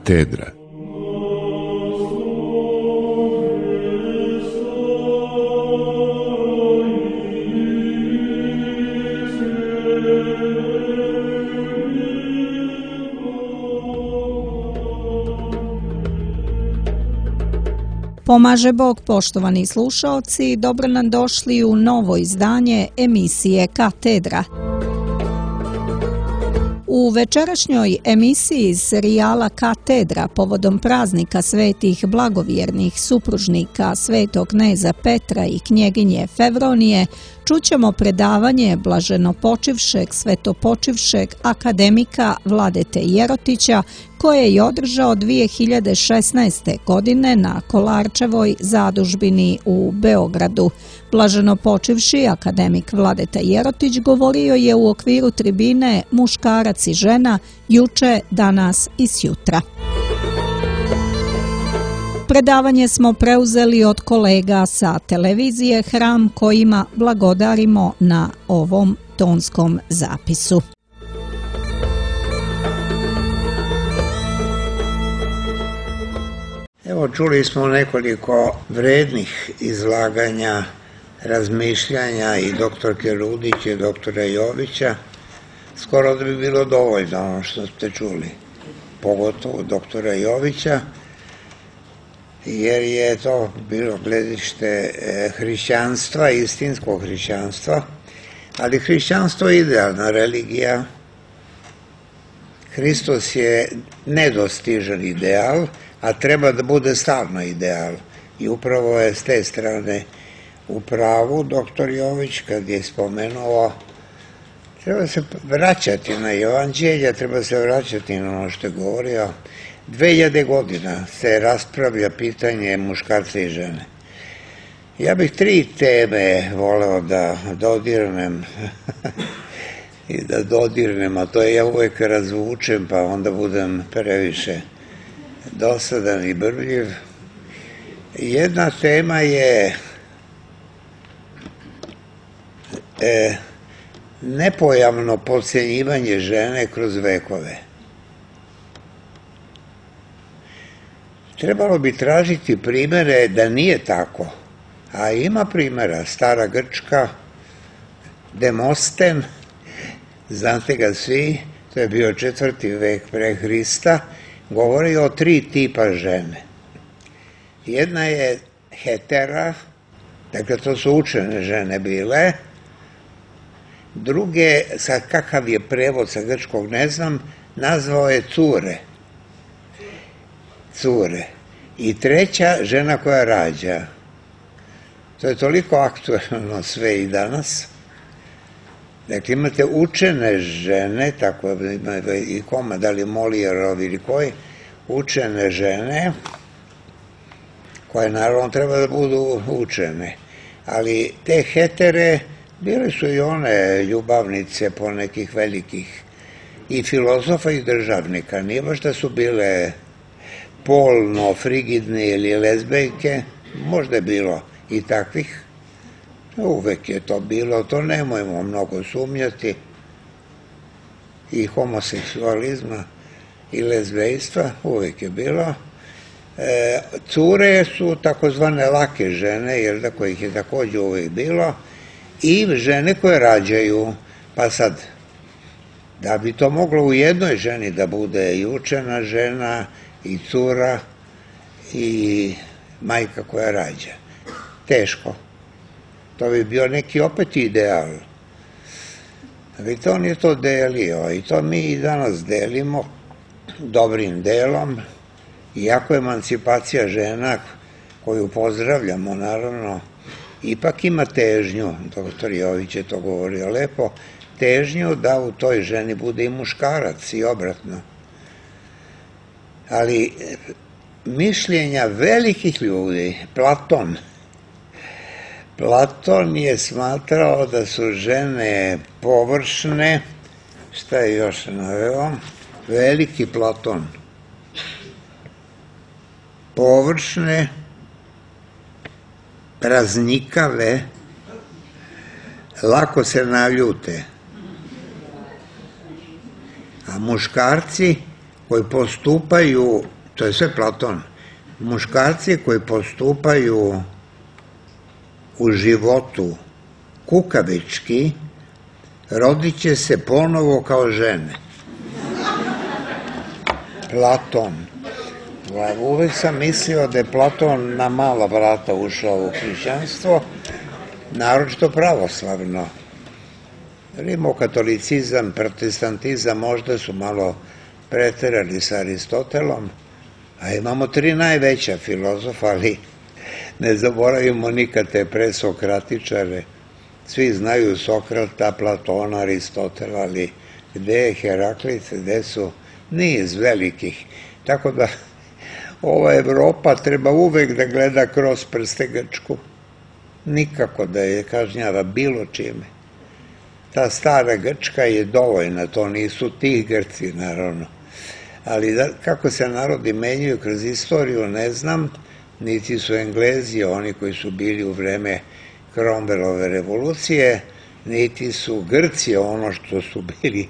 Katedra. Pomaže Bog, poštovani slušaoci, dobro nam došli u novo izdanje emisije Katedra. U večerašnjoj emisiji iz serijala Katedra povodom praznika svetih blagovjernih supružnika svetog kneza Petra i knjeginje Fevronije čućemo predavanje blaženopočivšeg svetopočivšeg akademika Vladete Jerotića koje je održao 2016. godine na Kolarčevoj zadužbini u Beogradu. Blaženopočivši akademik Vladeta Jerotić govorio je u okviru tribine Muškarac i žena juče, danas i sjutra. Predavanje smo preuzeli od kolega sa televizije Hram kojima blagodarimo na ovom tonskom zapisu. Evo, čuli smo nekoliko vrednih izlaganja, razmišljanja i doktorke Rudić i doktora Jovića. Skoro da bi bilo dovoljno ono što ste čuli, pogotovo doktora Jovića, jer je to bilo gledište hrišćanstva, istinskog hrišćanstva, ali hrišćanstvo je idealna religija. Hristos je nedostižan ideal, a treba da bude stalno ideal. I upravo je s te strane u pravu doktor Jović kad je spomenuo treba se vraćati na evanđelje, treba se vraćati na ono što je govorio. 2000 godina se raspravlja pitanje muškarca i žene. Ja bih 3 teme voleo da dodirnem i da dodirnem, a to je ja uvek razvučem pa onda budem previše dosadan i brbljiv. Jedna tema je nepojavno potcenjivanje žene kroz vekove. Trebalo bi tražiti primere da nije tako, a ima primera. Stara Grčka, Demosten, znate ga svi, to je bio 4. vek pre Hrista, govori o 3 tipa žene. Jedna je hetera, dakle to su učene žene bile. Druge, sad kakav je prevod sa grčkog ne znam, nazvao je cure. Cure. I treća, žena koja rađa. To je toliko aktuelno sve i danas. Dakle, imate učene žene, tako ima i koma, da li Molijerov ili koji, učene žene, koje naravno treba da budu učene. Ali te hetere, bile su i one ljubavnice po nekih velikih i filozofa i državnika. Nije baš da su bile polno frigidne ili lezbejke, možda je bilo i takvih. Uvek je to bilo, to nemojmo mnogo sumnjati, i homoseksualizma i lezbejstva, uvek je bilo. Cure su takozvane lake žene, jer da kojih je takođe uvek bilo, i žene koje rađaju. Pa sad, da bi to moglo u jednoj ženi da bude i učena žena, i cura, i majka koja rađa. Teško. To bi bio neki opet ideal. Vidite, on je to delio i to mi i danas delimo dobrim delom, iako emancipacija žena, koju pozdravljamo naravno, ipak ima težnju, doktor Jović je to govorio lepo, težnju da u toj ženi bude i muškarac i obratno. Ali mišljenja velikih ljudi, Platon je smatrao da su žene površne, šta je još naveo, veliki Platon, površne, praznikave, lako se naljute, a muškarci koji postupaju To je sve Platon. Muškarci koji postupaju u životu kukavički, rodit će se ponovo kao žene. Platon. Uvek sam mislio da je Platon na mala vrata ušao u hrišćanstvo, naročito pravoslavno. Rimokatolicizam, protestantizam možda su malo preterali sa Aristotelom, a imamo 3 najveća filozofa, ali ne zaboravimo nikad te presokratičare. Svi znaju Sokrata, Platona, Aristotela, ali gde je Heraklit, gde su niz velikih. Tako da ova Evropa treba uvek da gleda kroz prste Grčku. Nikako da je kažnjava bilo čime. Ta stara Grčka je dovoljna, to nisu ti Grci, naravno. Ali kako se narodi menjaju kroz istoriju, ne znam, niti su Englezi, oni koji su bili u vreme Cromwellove revolucije, niti su Grci ono što su bili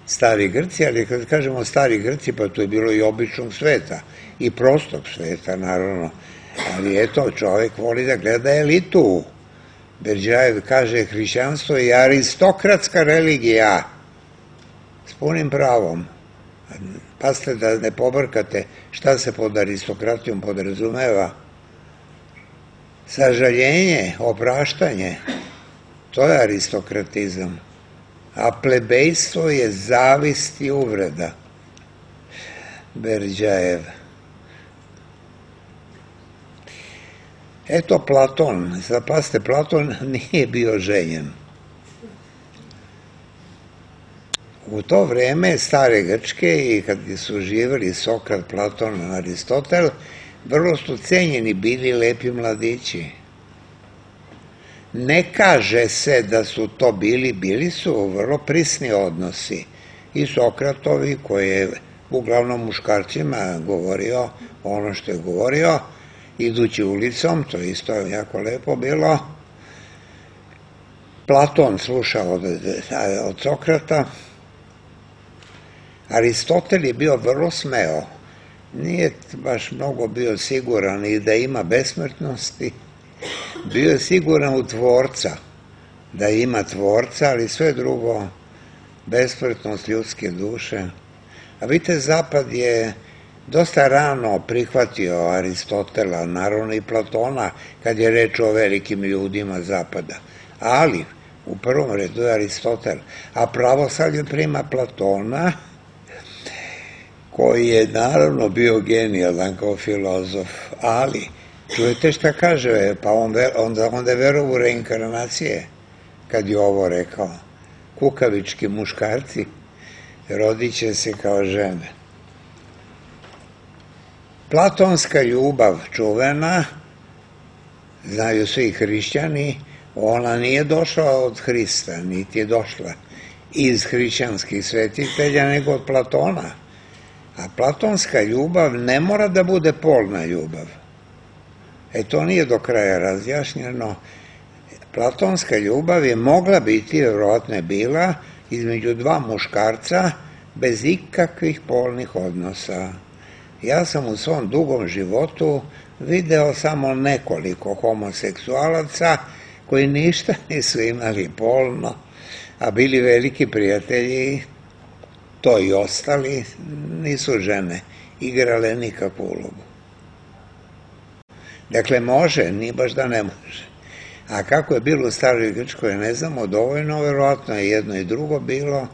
stari Grci, ali kad kažemo stari Grci, pa to je bilo i običnog sveta, i prostog sveta, naravno. Ali eto, čovek voli da gleda elitu. Berđajev kaže, hrišćanstvo je aristokratska religija, s punim pravom. Pazite da ne pobrkate šta se pod aristokratijom podrazumeva. Sažaljenje, opraštanje, to je aristokratizam. A plebejstvo je zavist i uvreda. Berđajev. Eto Platon, zapazite, Platon nije bio ženjen. U to vreme stare Grčke i kad su živjeli Sokrat, Platon, Aristotel, vrlo su cenjeni bili lepi mladići. Ne kaže se da su to bili su vrlo prisni odnosi. I Sokratovi, koji je uglavnom muškarcima govorio ono što je govorio, idući ulicom, to isto jako lepo bilo. Platon slušao od Sokrata. Aristotel je bio vrlo smeo. Nije baš mnogo bio siguran i da ima besmrtnosti. Bio je siguran u tvorca, da ima tvorca, ali sve drugo, besmrtnost ljudske duše. A vidite, Zapad je dosta rano prihvatio Aristotela, naravno i Platona, kad je reč o velikim ljudima Zapada. Ali, u prvom redu je Aristotel, a pravoslavlje prima Platona, koji je naravno bio genijalan kao filozof, ali čujete šta kaže, pa onda je verovo u reinkarnacije, kad je ovo rekao. Kukavički muškarci rodit će se kao žene. Platonska ljubav čuvena, znaju svi hrišćani, ona nije došla od Hrista, niti je došla iz hrišćanskih svetitelja, nego od Platona. A platonska ljubav ne mora da bude polna ljubav. To nije do kraja razjašnjeno. Platonska ljubav je mogla biti, vjerojatno je bila, između 2 muškarca bez ikakvih polnih odnosa. Ja sam u svom dugom životu video samo nekoliko homoseksualaca koji ništa nisu imali polno, a bili veliki prijatelji. To i ostali nisu žene igrale nikakvu ulogu. Dakle, može, nije baš da ne može. A kako je bilo u staroj Grčkoj, ne znamo dovoljno, verovatno je jedno i drugo bilo.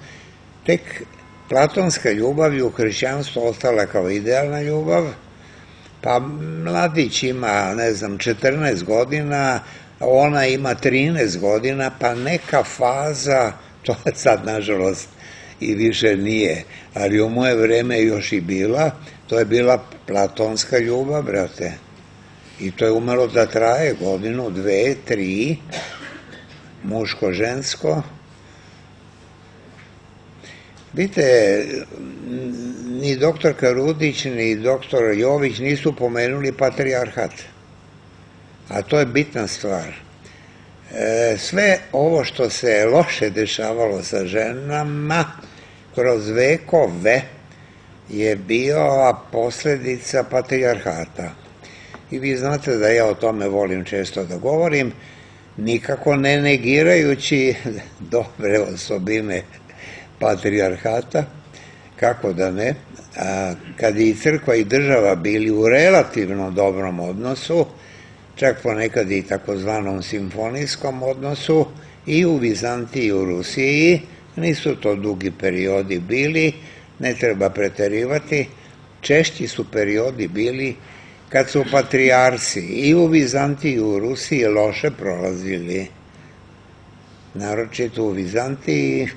Tek platonska ljubav je u hrišćanstvu ostala kao idealna ljubav, pa mladić ima, 14 godina, ona ima 13 godina, pa neka faza, to je sad nažalost i više nije, ali u moje vreme još i bila, to je bila platonska ljubav, brate. I to je umelo da traje godinu, 2, 3, muško-žensko. Vidite, ni doktorka Rudić, ni doktor Jović nisu pomenuli patrijarhat. A to je bitna stvar. Sve ovo što se loše dešavalo sa ženama kroz vekove je bio posljedica patrijarhata. I vi znate da ja o tome volim često da govorim, nikako ne negirajući dobre osobine patrijarhata, kako da ne, kad i crkva i država bili u relativno dobrom odnosu, čak ponekad i takozvanom simfonijskom odnosu, i u Vizantiji i u Rusiji, nisu to dugi periodi bili, ne treba preterivati, češći su periodi bili kad su patrijarsi i u Vizantiji i u Rusiji loše prolazili. Naročito u Vizantiji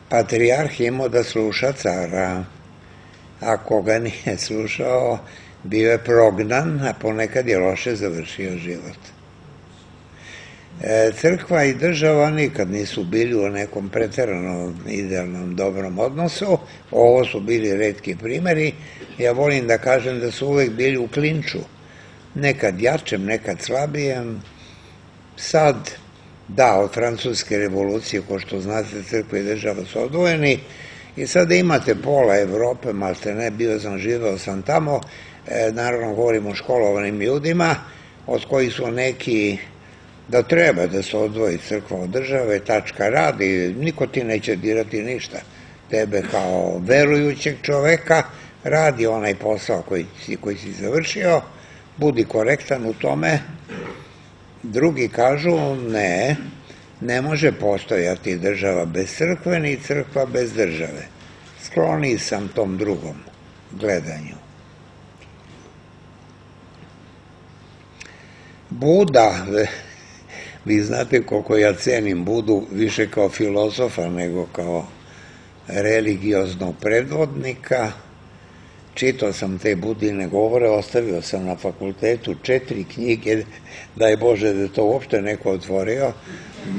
patrijarh imao da sluša cara. Ako ga nije slušao, bio je prognan, a ponekad je loše završio život. Crkva i država nikad nisu bili u nekom pretjeranom idealnom dobrom odnosu. Ovo su bili retki primjeri. Ja volim da kažem da su uvek bili u klinču. Nekad jačem, nekad slabijem. Sad, da, od Francuske revolucije, ko što znate, crkva i država su odvojeni. I sada imate pola Evrope, malte ne, živeo sam tamo. Naravno, govorim o školovanim ljudima, od kojih su neki da treba da se odvoji crkva od države, tačka, radi, niko ti neće dirati ništa. Tebe kao verujućeg čoveka radi onaj posao koji si završio, budi korektan u tome. Drugi kažu ne može postojati država bez crkve, ni crkva bez države. Skloniji sam tom drugom gledanju. Buda, vi znate koliko ja cenim Budu više kao filozofa nego kao religioznog predvodnika. Čitao sam te Budine govore, ostavio sam na fakultetu 4 knjige, daj Bože da je to uopšte neko otvorio,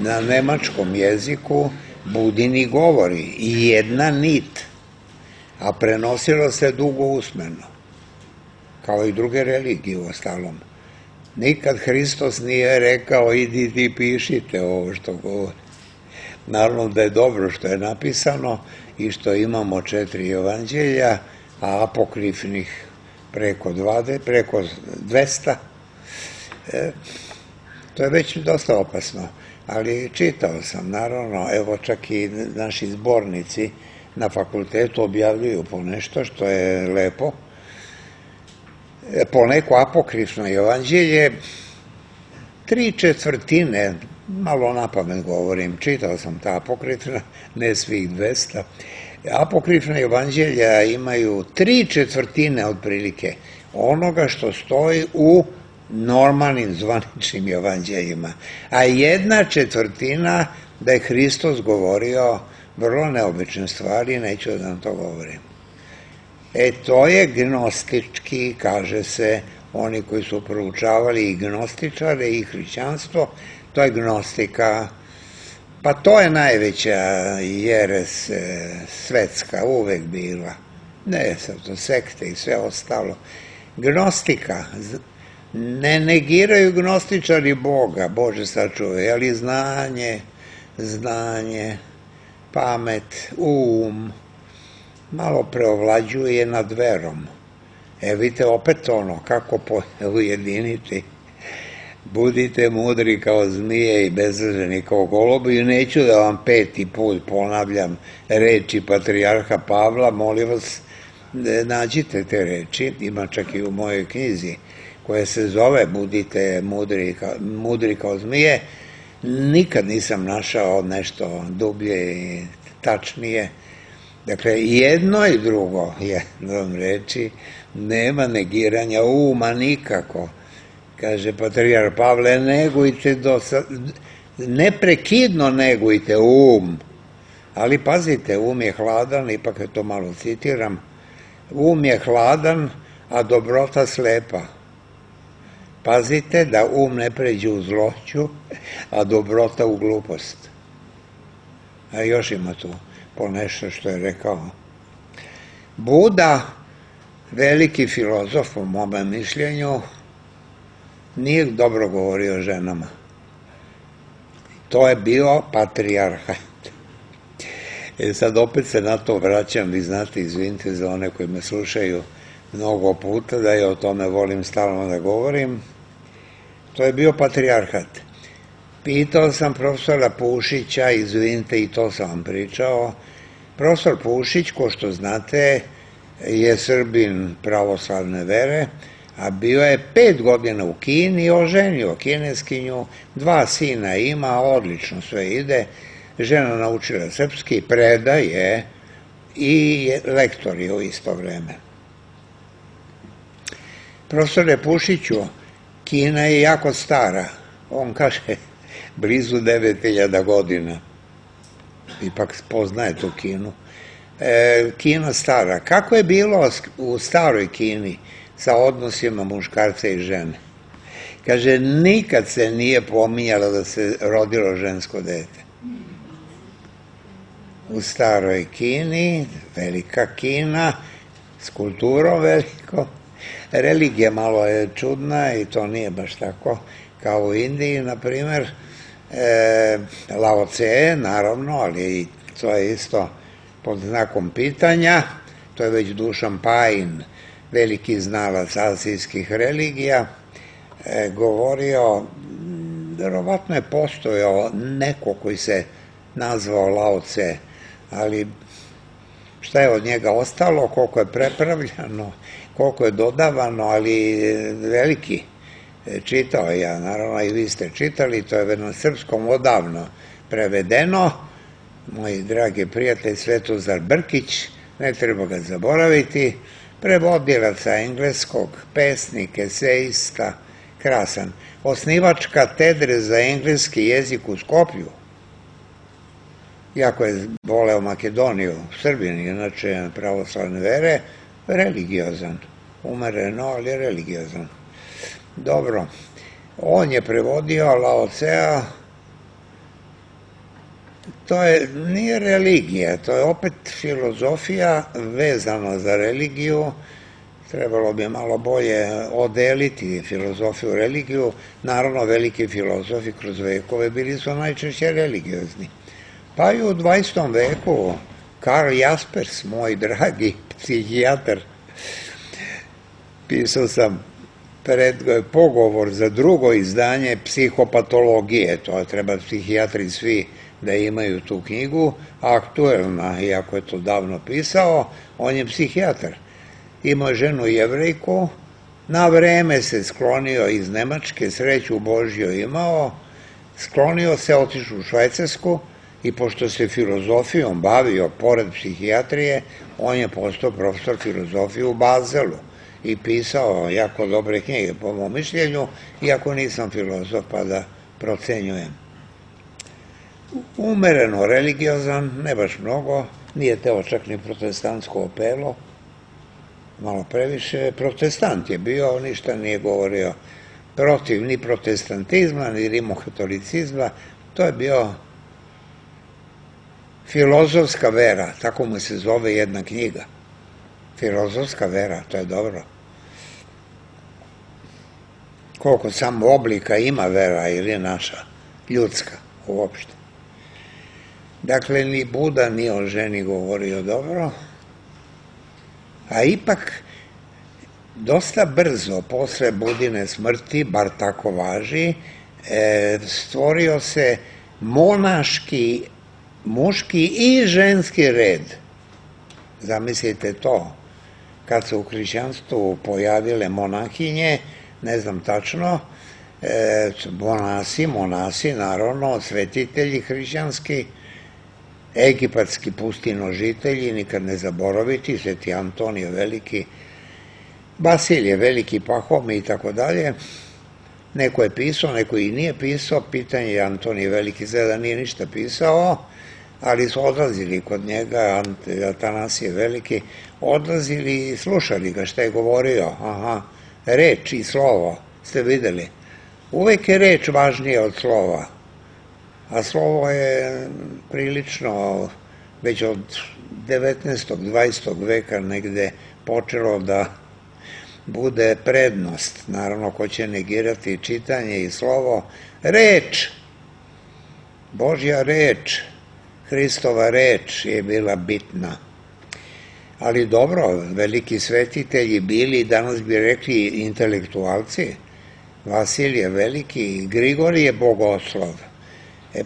na nemačkom jeziku Budini govori i jedna nit, a prenosilo se dugo usmeno, kao i druge religije u ostalom. Nikad Hristos nije rekao idite i pišite ovo što govori. Naravno da je dobro što je napisano i što imamo 4 evanđelja, a apokrifnih preko 200. To je već dosta opasno, ali čitao sam, naravno, evo čak i naši zbornici na fakultetu objavljuju po nešto što je lepo. Po neko apokrifno evanđelje, 3/4, malo napamet govorim, čitao sam ta apokrifna, ne svih 200, apokrifna evanđelja imaju 3/4 otprilike onoga što stoji u normalnim zvaničnim evanđeljima, a 1/4 da je Hristos govorio vrlo neobične stvari, neću da vam to govorim. To je gnostički, kaže se, oni koji su proučavali i gnostičare i hrišćanstvo, to je gnostika. Pa to je najveća jeres svetska uvek bila. Ne sad to sekte i sve ostalo. Gnostika, ne negiraju gnostičari Boga, Bože sačuvaj, ali znanje, pamet, malo preovlađuje nad verom. Vidite opet ono, kako ujediniti. Budite mudri kao zmije i bezrženi kao golubi. I neću da vam 5. put ponavljam reči patrijarha Pavla, molim vas, nađite te reči, ima čak i u mojoj knjizi, koja se zove Budite mudri kao zmije. Nikad nisam našao nešto dublje i tačnije. Dakle, jedno i drugo, jednom reči, nema negiranja uma nikako. Kaže patrijarh Pavle, neprekidno negujte ali pazite, je hladan, ipak to malo citiram, je hladan, a dobrota slepa. Pazite da ne pređe u zloću, a dobrota u glupost. A još ima tu po nešto što je rekao. Buda, veliki filozof po mome mišljenju, nije dobro govorio o ženama. To je bio patrijarhat. Sad opet se na to vraćam, vi znate, izvinite za one koji me slušaju mnogo puta, da ja o tome volim stalno da govorim. To je bio patrijarhat. Pitao sam profesora Pušića, izvinite, i to sam vam pričao. Profesor Pušić, ko što znate, je Srbin pravoslavne vere, a bio je 5 godina u Kini i oženio kineskinju, 2 sina ima, odlično sve ide, žena naučila srpski, predaje i lektor je u isto vreme. Profesore Pušiću, Kina je jako stara, on kaže blizu 9000 godina, ipak poznaje tu Kinu. Kina stara. Kako je bilo u staroj Kini sa odnosima muškarca i žene? Kaže, nikad se nije pominjalo da se rodilo žensko dete. U staroj Kini, velika Kina, s kulturom veliko, religija malo je čudna i to nije baš tako kao u Indiji, na primer, Lao Tse, naravno, ali to je isto pod znakom pitanja, to je već Dušan Pajin, veliki znalac azijskih religija, govorio, verovatno je postojao neko koji se nazvao Lao Tse, ali šta je od njega ostalo, koliko je prepravljano, koliko je dodavano, ali veliki. Čitao ja, naravno i vi ste čitali, to je na srpskom odavno prevedeno. Moj dragi prijatelj Svetozar Brkić, ne treba ga zaboraviti, prevodilac sa engleskog, pesnik, eseista, krasan. Osnivač katedre za engleski jezik u Skoplju. Jako je voleo Makedoniju, Srbin, inače pravoslavne vere, religiozan. Umereno, ali religiozan. Dobro, on je prevodio Lao Tsea. To nije religija, to je opet filozofija vezana za religiju. Trebalo bi malo bolje odeliti filozofiju i religiju. Naravno, veliki filozofi kroz vekove bili su najčešće religiozni. Pa i u 20. veku Karl Jaspers, moj dragi psihijatar, pisao sam pogovor za drugo izdanje psihopatologije, to treba psihijatri svi da imaju tu knjigu, aktuelna, iako je to davno pisao, on je psihijatar. Imao ženu Jevrejku, na vreme se sklonio iz Nemačke, sreću Božju imao, sklonio se, otišao u Švajcarsku i pošto se filozofijom bavio pored psihijatrije, on je postao profesor filozofije u Bazelu i pisao jako dobre knjige, po mom mišljenju, iako nisam filozof pa da procenjujem. Umereno religiozan, ne baš mnogo, nije teo čak ni protestantsko opelo, malo previše. Protestant je bio, ništa nije govorio protiv ni protestantizma, ni rimokatolicizma, to je bio filozofska vera, tako mu se zove jedna knjiga. Filozofska vera, to je dobro. Koliko samo oblika ima vera ili naša, ljudska uopšte. Dakle, ni Buda ni o ženi govorio dobro, a ipak dosta brzo, posle Budine smrti, bar tako važi, stvorio se monaški, muški i ženski red. Zamislite to, kad se u hrišćanstvu pojavile monahinje, ne znam tačno, monasi, naravno, svetitelji hrišćanski, egipatski pustinožitelji, nikad ne zaboraviti, Sveti Antonije veliki, Basilije veliki, Pahome i tako dalje. Neko je pisao, neko i nije pisao, pitanje je Antonije veliki, da nije ništa pisao, ali su odlazili kod njega, Atanasije veliki, odlazili i slušali ga šta je govorio, reč i slovo, ste videli. Uvek je reč važnija od slova, a slovo je prilično već od 19. 20. veka negde počelo da bude prednost. Naravno, ko će negirati čitanje i slovo, reč, Božja reč, Hristova reč je bila bitna. Ali dobro, veliki svetitelji bili, danas bi rekli intelektualci, Vasilije Veliki, Grigorije Bogoslov.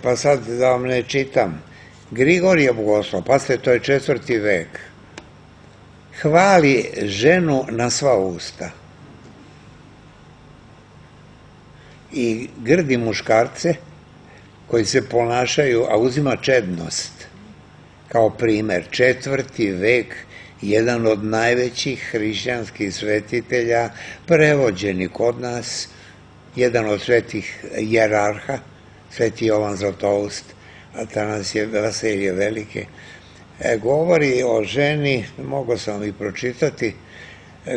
Pa sad da vam ne čitam. Grigorije Bogoslov, pazite, to je 4. vek. Hvali ženu na sva usta. I grdi muškarce koji se ponašaju, a uzima čednost kao primer. 4. vek, jedan od najvećih hrišćanskih svetitelja, prevođeni kod nas, jedan od svetih jerarha, sveti Jovan Zlatoust, Atanasije Vasilije Velike, govori o ženi, mogu sam i pročitati,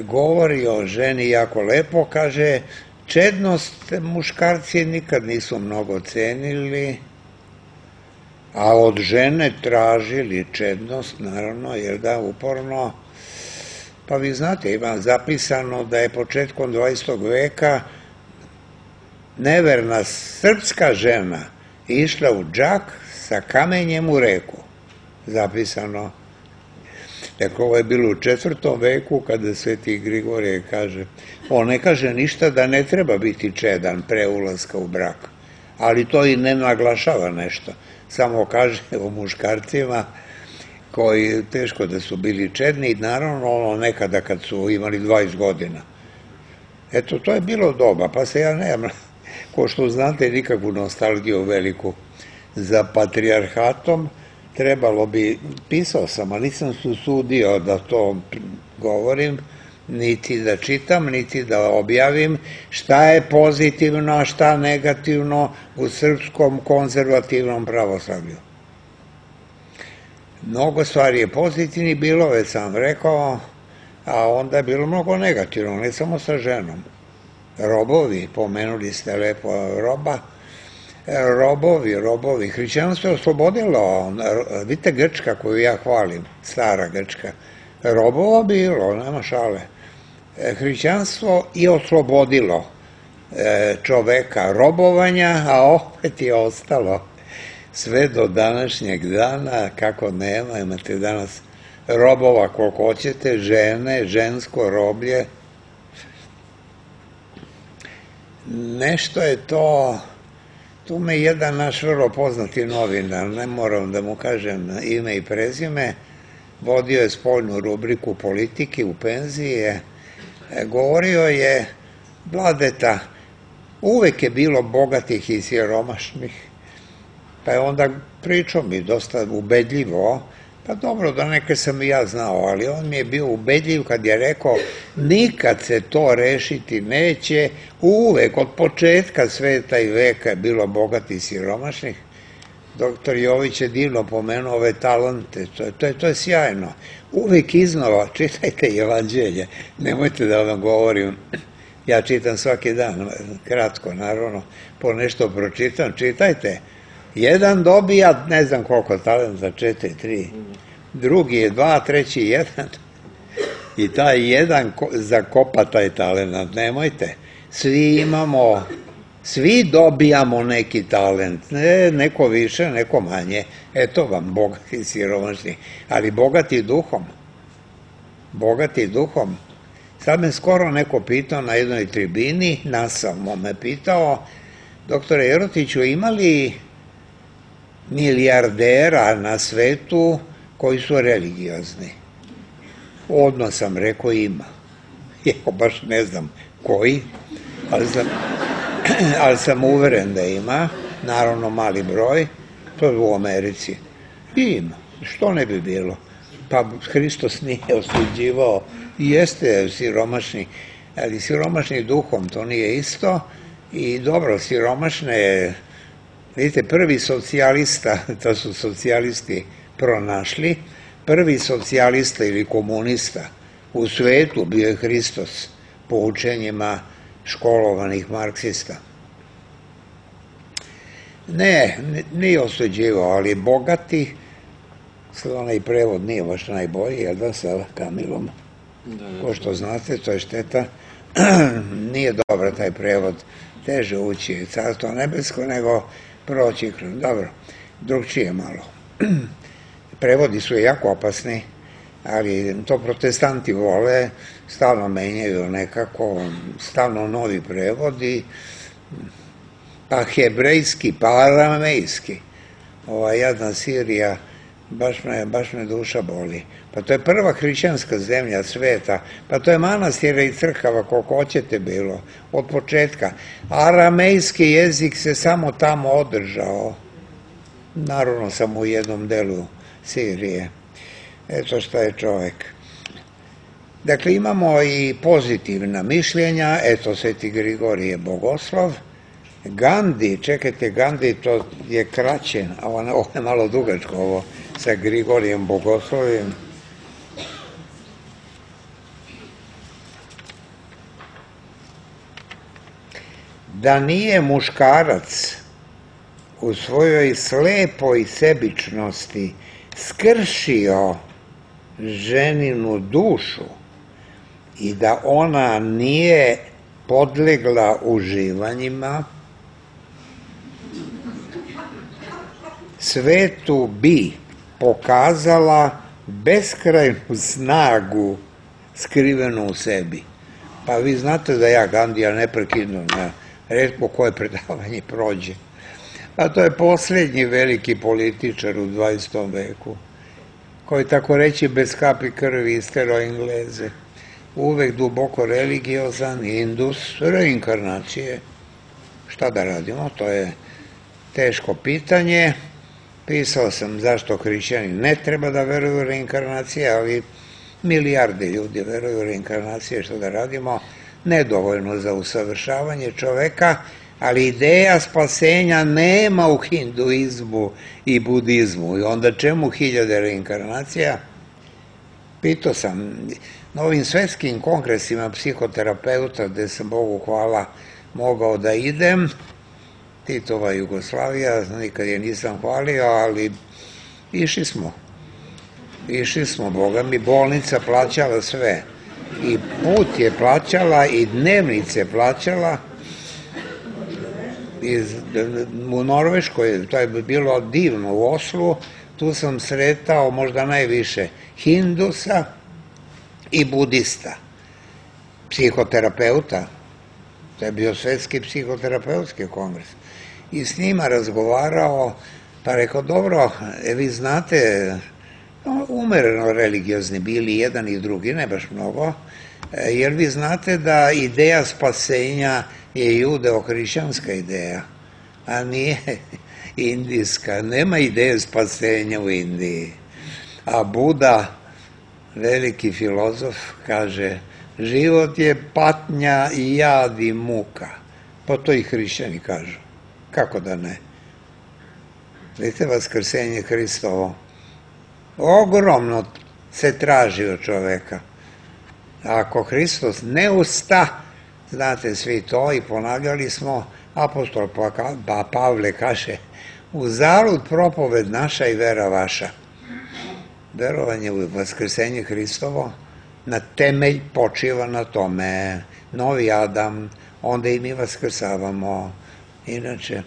govori o ženi jako lepo, kaže, čednost muškarci nikad nisu mnogo cenili, a od žene tražili čednost, naravno, jer da, uporno. Pa vi znate, ima zapisano da je početkom 20. veka neverna srpska žena išla u džak sa kamenjem u reku. Zapisano. Dakle, ovo je bilo u 4. veku kada sveti Grigorije kaže, on ne kaže ništa da ne treba biti čedan pre ulaska u brak, ali to i ne naglašava nešto. Samo kaže o muškarcima koji teško da su bili čedni i naravno ono nekada kad su imali 20 godina. Eto, to je bilo doba, pa se ja nemam, ko što znate, nikakvu nostalgiju veliku za patrijarhatom. Trebalo bi, pisao sam, ali nisam se usudio da to govorim, niti da čitam, niti da objavim šta je pozitivno, a šta negativno u srpskom konzervativnom pravoslavlju. Mnogo stvari je pozitivni bilo, već sam rekao, a onda je bilo mnogo negativno, ne samo sa ženom. Robovi, pomenuli ste lepo roba, robovi, hrišćanstvo je oslobodilo, vidite Grčka koju ja hvalim, stara Grčka, robova bilo, nema šale. Hrišćanstvo je oslobodilo čoveka robovanja, a opet je ostalo sve do današnjeg dana, kako nema, imate danas robova koliko hoćete, žene, žensko roblje. Nešto je to, tu me jedan naš vrlo poznati novinar, ne moram da mu kažem ime i prezime, vodio je spoljnu rubriku politike u penziji, govorio je, Vladeta, uvek je bilo bogatih i siromašnih, pa je onda pričao mi dosta ubedljivo, pa dobro, da neke sam i ja znao, ali on mi je bio ubedljiv kad je rekao, nikad se to rešiti neće, uvek, od početka sveta i veka je bilo bogatih i siromašnih. Doktor Jović je divno pomenuo ove talente, to je sjajno. Uvek iznova čitajte Evanđelje, nemojte da vam govorim, ja čitam svaki dan, kratko naravno, po nešto pročitam, čitajte. Jedan dobija, ne znam koliko talenta, 4, 3, drugi je 2, treći 1 i taj jedan zakopa taj talent, nemojte. Svi imamo, svi dobijamo neki talent, neko više, neko manje, eto vam bogati i siromašni, ali bogati duhom. Sad me skoro neko pitao na jednoj tribini, nasamo me pitao, doktore Jerotiću, ima li milijardera na svetu koji su religiozni? Odmah sam rekao ima. Ja baš ne znam koji, ali sam uveren da ima, naravno mali broj, to je u Americi. I ima, što ne bi bilo? Pa Hristos nije osuđivao, jeste siromašni, ali siromašni duhom, to nije isto. I dobro, siromašne, vidite, prvi socijalista, to su socijalisti pronašli, prvi socijalista ili komunista u svetu bio je Hristos po učenjima školovanih marksista. Ne, nije osuđivao, ali bogati, sad onaj prevod nije baš najbolji, jel da, sa Kamilom? Ko što znate, to je šteta, nije dobar taj prevod, teže ući Carstvo nebesko nego proći kroz, dobro, drugčije malo. Prevodi su jako opasni, ali to protestanti vole, stalno menjaju nekako, stalno novi prevodi, pa hebrejski, pa aramejski. Ova jadna Sirija, baš me duša boli. Pa to je prva hrišćanska zemlja sveta, pa to je manastira i crkava koliko hoćete bilo, od početka. Aramejski jezik se samo tamo održao, naravno samo u jednom delu Sirije. Eto šta je čovek. Dakle, imamo i pozitivna mišljenja, eto Sveti Grigorije Bogoslov, Gandhi, čekajte, Gandhi to je kraće, a ovo je malo dugačko ovo sa Grigorijem Bogoslovim. Da nije muškarac u svojoj slepoj sebičnosti skršio ženinu dušu i da ona nije podlegla uživanjima, svetu bi pokazala beskrajnu snagu skrivenu u sebi. Pa vi znate da ja Gandija neprekidno na retko koje predavanje prođe. A to je posljednji veliki političar u 20. veku, koji tako reći bez kapi krvi istero Engleze. Uvek duboko religiozan, indus, reinkarnacije. Šta da radimo, to je teško pitanje. Pisao sam zašto hrišćani ne treba da veruju u reinkarnacije, ali milijarde ljudi veruju u reinkarnacije, što da radimo, nedovoljno za usavršavanje čoveka, ali ideja spasenja nema u hinduizmu i budizmu. I onda čemu 1000 reinkarnacija? Pitao sam na ovim svetskim kongresima psihoterapeuta, gde sam Bogu hvala mogao da idem, Titova Jugoslavija, nikad je nisam hvalio, ali išli smo, Boga mi, bolnica plaćala sve. I put je plaćala, i dnevnice plaćala. U Norveškoj, to je bilo divno, u Oslu, tu sam sretao možda najviše hindusa i budista, psihoterapeuta. To je bio svetski psihoterapeutski kongres. I s njima razgovarao, pa rekao, dobro, vi znate, umereno religiozni bili jedan i drugi, ne baš mnogo, jer vi znate da ideja spasenja je judeo-hrišćanska ideja, a nije indijska. Nema ideje spasenja u Indiji. A Buda, veliki filozof, kaže, život je patnja i jad i muka. Pa to i hrišćani kažu. Kako da ne? Vidite, vaskrsenje Hristovo ogromno se traži od čoveka. Ako Hristos ne usta, znate svi to i ponavljali smo, apostol Pavle kaže, uzalud propoved naša i vera vaša. Verovanje u vaskrsenje Hristovo na temelj počiva na tome. Novi Adam, onda i mi vaskrsavamo. Inače,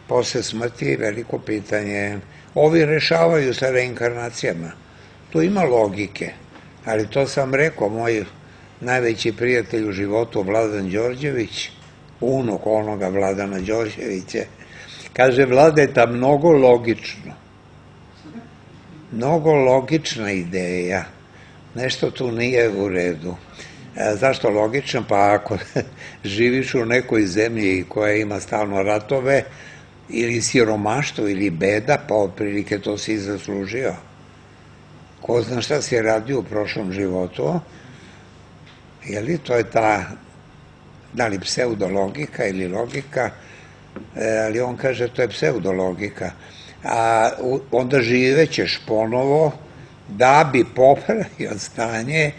posle smrti veliko pitanje. Ovi rešavaju sa reinkarnacijama. Tu ima logike, ali to sam rekao, moj najveći prijatelj u životu, Vladan Đorđević, unuk onoga Vladana Đorđevića, kaže, Vladeta, mnogo logična ideja, nešto tu nije u redu. Zašto logično? Pa ako živiš u nekoj zemlji koja ima stalno ratove, ili siromaštvo, ili beda, pa otprilike to si i zaslužio. Ko zna šta si radio u prošlom životu, je to je ta, da li pseudologika ili logika, ali on kaže to je pseudologika. A onda živećeš ponovo da bi popravio stanje.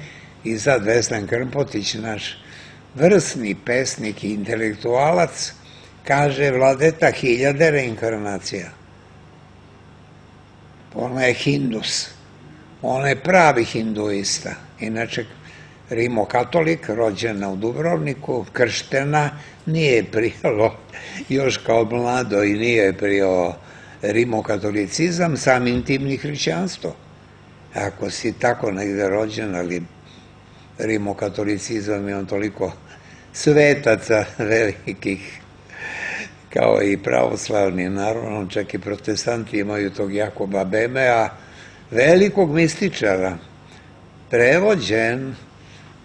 I sad Veslan Krmpotić, naš vrsni pesnik i intelektualac, kaže, Vladeta, 1000 reinkarnacija. Ona je hindus, ona je pravi hinduista. Inače, rimokatolik, rođena u Dubrovniku, krštena, nije prijalo još kao mlado i nije prijao rimokatolicizam, samim tim ni hrišćanstvo. Ako si tako negde rođen, ali rimokatolicizam je on toliko svetaca velikih, kao i pravoslavni, naravno, čak i protestanti imaju tog Jakoba Bemea, velikog mističara, prevođen.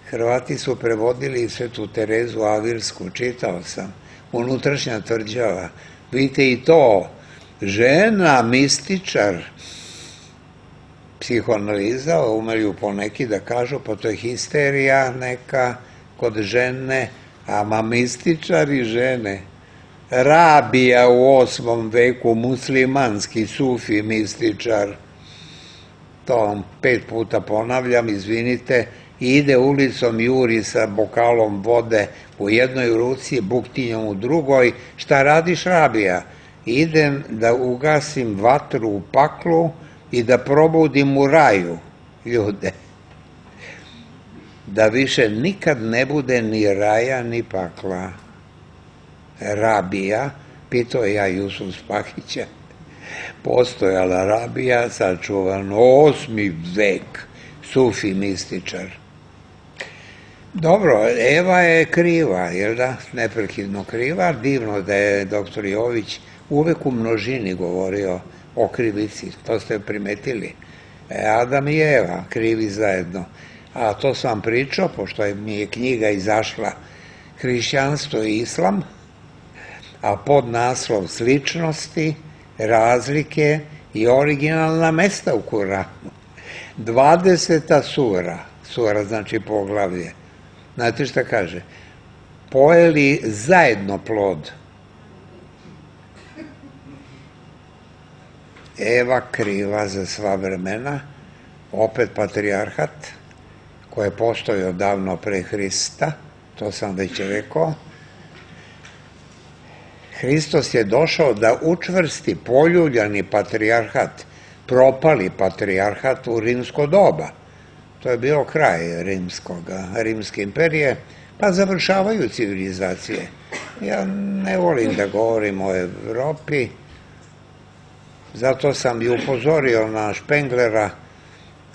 Hrvati su prevodili Svetu Terezu Avilsku, čitao sam, Unutrašnja tvrđava. Vidite i to, žena, mističar, psihoanaliza, umeju poneki da kažu, pa to je histerija neka kod žene, a mističari žene. Rabija u 8. veku, muslimanski sufi mističar, to vam 5 puta ponavljam, izvinite, ide ulicom, juri sa bokalom vode u jednoj ruci, buktinjom u drugoj. Šta radiš, Rabija? Idem da ugasim vatru u paklu i da probudim u raju ljude. Da više nikad ne bude ni raja ni pakla. Rabija, pitao ja Jusuf Spahića, postojala Rabija, sačuvan 8. vek, sufi mističar. Dobro, Eva je kriva, jel da? Neprekidno kriva. Divno da je doktor Jović uvek u množini govorio o krivici, to ste primetili. Adam i Eva, krivi zajedno. A to sam vam pričao, pošto mi je knjiga izašla Hrišćanstvo i Islam, a pod naslov Sličnosti, razlike i originalna mesta u Kuranu. 20. sura znači poglavlje. Znate šta kaže? Pojeli zajedno plod. Eva kriva za sva vremena, opet patrijarhat, koji je postojao davno pre Hrista, to sam već rekao. Hristos je došao da učvrsti poljuljani patrijarhat, propali patrijarhat u rimsko doba. To je bio kraj rimske imperije, pa završavaju civilizacije. Ja ne volim da govorim o Evropi, zato sam i upozorio na Špenglera,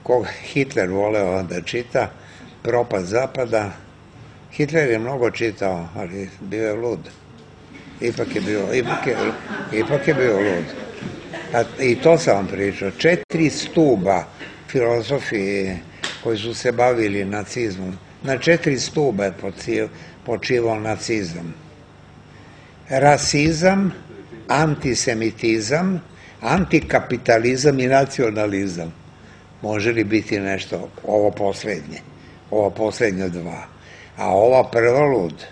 koga Hitler voleo da čita, Propast zapada. Hitler je mnogo čitao, ali bio je lud. Ipak je bio lud. I to sam vam pričao. 4 stuba filozofije koji su se bavili nacizmom. Na 4 stuba je počivao nacizam. Rasizam, antisemitizam, antikapitalizam i nacionalizam. Može li biti nešto ovo poslednje 2? A ova prva lud.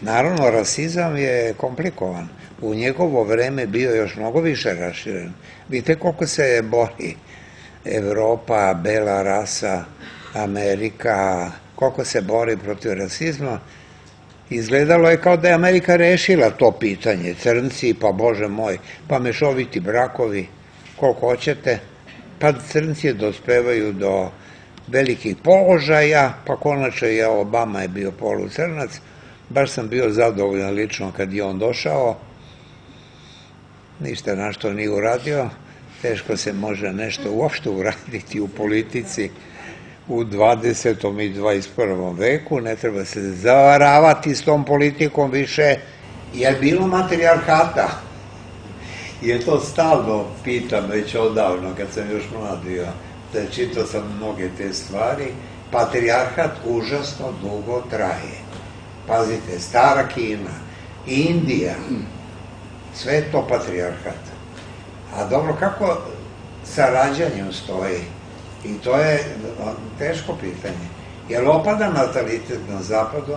Naravno, rasizam je komplikovan. U njegovo vreme bio još mnogo više raširen. Vidite koliko se bori Evropa, bela rasa, Amerika, koliko se bori protiv rasizma. Izgledalo je kao da je Amerika rešila to pitanje. Crnci, pa Bože moj, pa mešoviti brakovi, koliko hoćete. Pa crnci dospevaju do velikih položaja, pa konačno je Obama je bio polucrnac. Baš sam bio zadovoljan lično kad je on došao. Ništa na što nije uradio. Teško se može nešto uopšte uraditi u politici u 20. i 21. veku. Ne treba se zavaravati s tom politikom više. Je bilo matrijarhata? Je to stalno, pitam već odavno, kad sam još mlad bio, da čitao sam mnoge te stvari. Patrijarhat užasno dugo traje. Pazite, stara Kina, Indija, sve je to patrijarhat. A dobro, kako sa rađanjem stoji? I to je teško pitanje. Je li opada natalitet na zapadu?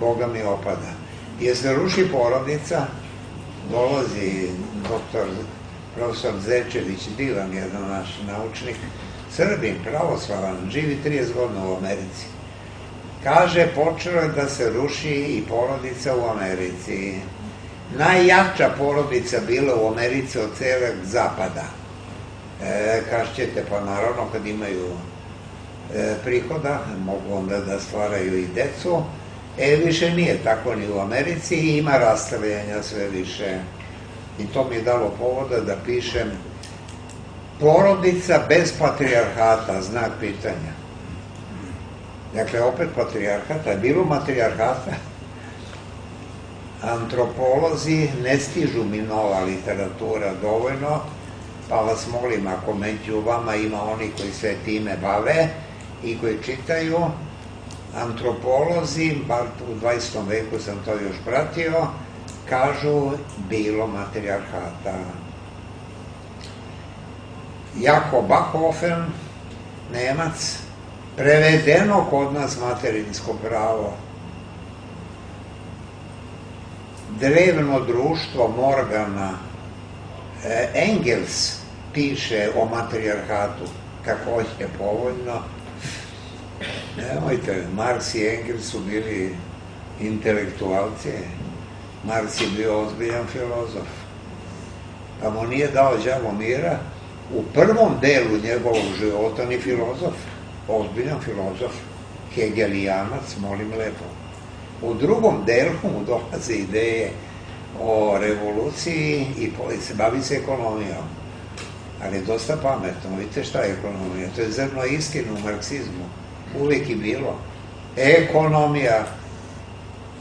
Boga mi opada. Je se ruši porodica? Dolazi profesor Zečević, divan jedan naš naučnik, Srbin, pravoslavan, živi 30 godina u Americi. Kaže, počelo je da se ruši i porodica u Americi. Najjača porodica bila u Americi od celog zapada. Kažete, pa naravno kad imaju prihoda, mogu onda da stvaraju i decu. Više nije tako ni u Americi, ima rastavljanja sve više. I to mi je dalo povoda da pišem porodica bez patrijarhata, znak pitanja. Dakle, opet patrijarhata, je bilo matrijarhata. Antropolozi ne stižu mi nova literatura dovoljno, pa vas molim, ako među vama ima oni koji se time bave i koji čitaju, antropolozi, bar u 20. veku sam to još pratio, kažu bilo matrijarhata. Jakob Bachofen, Nemac, prevedeno kod nas materinsko pravo. Drevno društvo Morgana, Engels piše o matrijarhatu, takođe povoljno. Nemojte, Marks i Engels su bili intelektualci. Marks je bio ozbiljan filozof. Pa mu nije dao đavo mira. U prvom delu njegovog života ni filozof, ozbiljan filozof, hegelijanac, molim lepo. U drugom delu mu dolaze ideje o revoluciji i se bavi se ekonomijom. Ali je dosta pametno. Vidite šta je ekonomija? To je zrno istine u marksizmu. Uvijek je bilo. Ekonomija.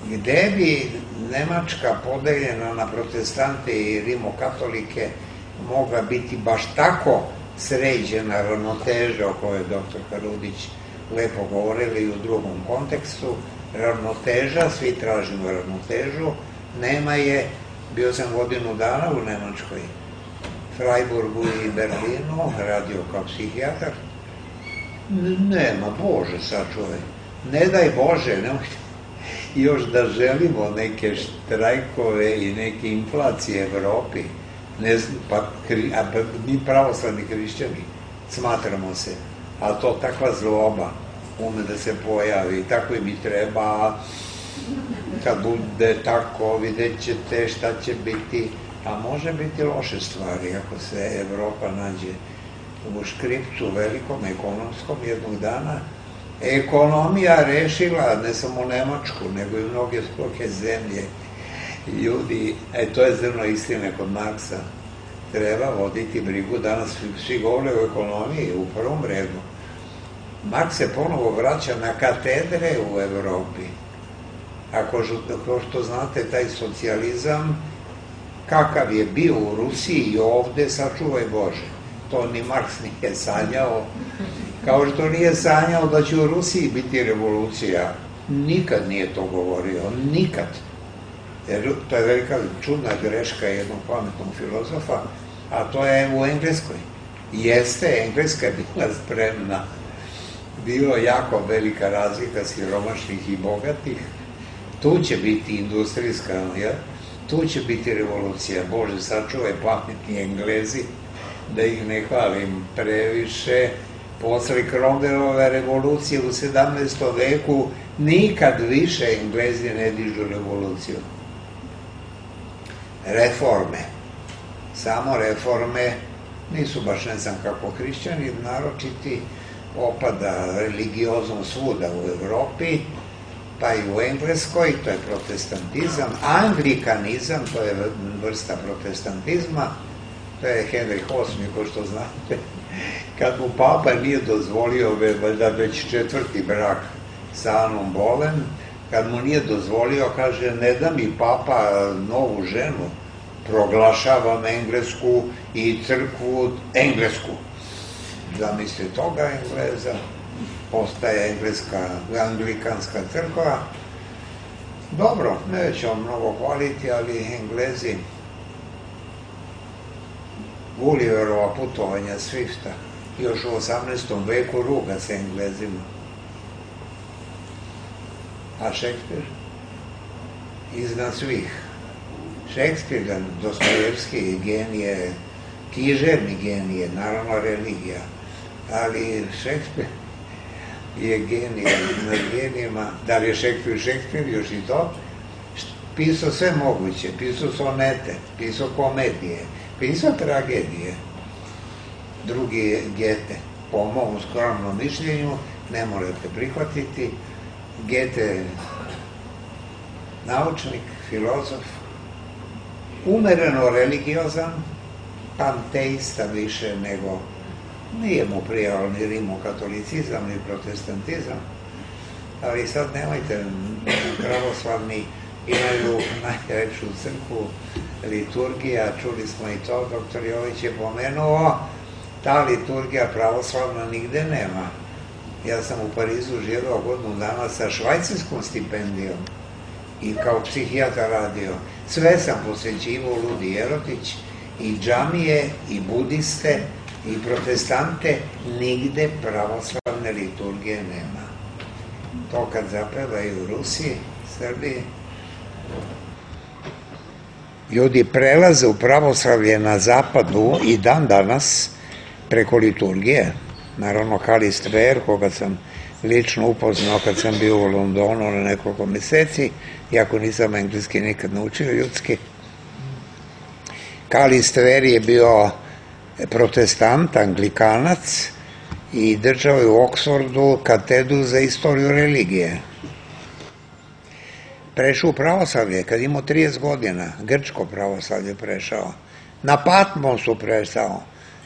Gde bi Nemačka podeljena na protestante i rimokatolike mogla biti baš tako sređena ravnoteža o kojoj je doktor Harudić lepo govorili u drugom kontekstu, ravnoteža, svi tražimo ravnotežu, nema je, bio sam godinu dana u Nemačkoj, Freiburgu i Berlinu, radio kao psihijatar, nema, Bože sačuvaj, ne daj Bože, nemojte, još da želimo neke štrajkove i neke inflacije u Evropi, ne znam, pa mi pravoslavni hrišćani smatramo se, ali to takva zloba ume da se pojavi, tako i mi treba, kad bude tako, vidjet ćete šta će biti, a može biti loše stvari ako se Evropa nađe u škripcu velikom ekonomskom jednog dana. Ekonomija rešila ne samo Nemačku, nego i mnoge druge zemlje. Ljudi, to je zrno istine kod Marksa, treba voditi brigu, danas svi govore o ekonomiji u prvom redu. Marks se ponovo vraća na katedre u Evropi. Ako što znate, taj socijalizam, kakav je bio u Rusiji i ovde, sačuvaj Bože. To ni Marks nije sanjao, kao što nije sanjao da će u Rusiji biti revolucija. Nikad nije to govorio, nikad. Jer to je velika čudna greška jednog pametnog filozofa, a to je u Engleskoj. Jeste, Engleska je bila spremna. Bilo jako velika razlika siromašnih i bogatih. Tu će biti industrijska, tu će biti revolucija. Bože, sačuvaj pametni Englezi, da ih ne hvalim previše. Posle Cromwellove revolucije u 17. veku nikad više Englezi ne dižu revoluciju. Reforme. Samo reforme nisu baš ne znam kako hrišćani, naročiti opada religiozom svuda u Evropi, pa i u Engleskoj, to je protestantizam, anglikanizam, to je vrsta protestantizma, to je Henrik VIII, ko što znate, kad mu papa nije dozvolio, valjda već 4. brak sa Anom Bolen, kad mu nije dozvolio, kaže, ne da mi papa novu ženu, proglašavam Englesku i crkvu englesku. Zamisli toga Engleza, postaje anglikanska crkva. Dobro, nećemo mnogo hvaliti, ali Englezi, Gulliverova putovanja Swifta, još u 18. veku ruga se Englezima. A Šekspir? Iznad svih. Šekspir, Dostojevski genije, književni genije, naravno religija, ali Šekspir je genije nad genijima. Da li je Šekspir još i to? Pisao sve moguće, pisao sonete, pisao komedije, pisao tragedije. Drugi je Goethe, po mom skromnom mišljenju, ne morate prihvatiti. Goethe, naučnik, filozof, umereno religiozan, panteista više nego, nije mu prijao ni rimokatolicizam, ni protestantizam, ali sad nemojte, pravoslavni imaju najveću crkvu, liturgija, čuli smo i to, doktor Jović je pomenuo, ta liturgija pravoslavna nigde nema. Ja sam u Parizu živeo godinu dana sa švajcarskom stipendijom i kao psihijatar radio. Sve sam posvećivao Ludi Jerotić, i džamije, i budiste, i protestante, nigde pravoslavne liturgije nema. To kad zapevaju u Rusiji, Srbiji, ljudi prelaze u pravoslavlje na zapadu i dan danas preko liturgije. Naravno, Kalist Ver, koga sam lično upoznao kad sam bio u Londonu na nekoliko meseci, iako nisam engleski nikad naučio ljudski. Kalist Ver je bio protestant, anglikanac i držao je u Oksfordu katedru za istoriju religije. Prešao u pravoslavlje kad imao 30 godina, grčko pravoslavlje prešao. Na Patmosu prešao.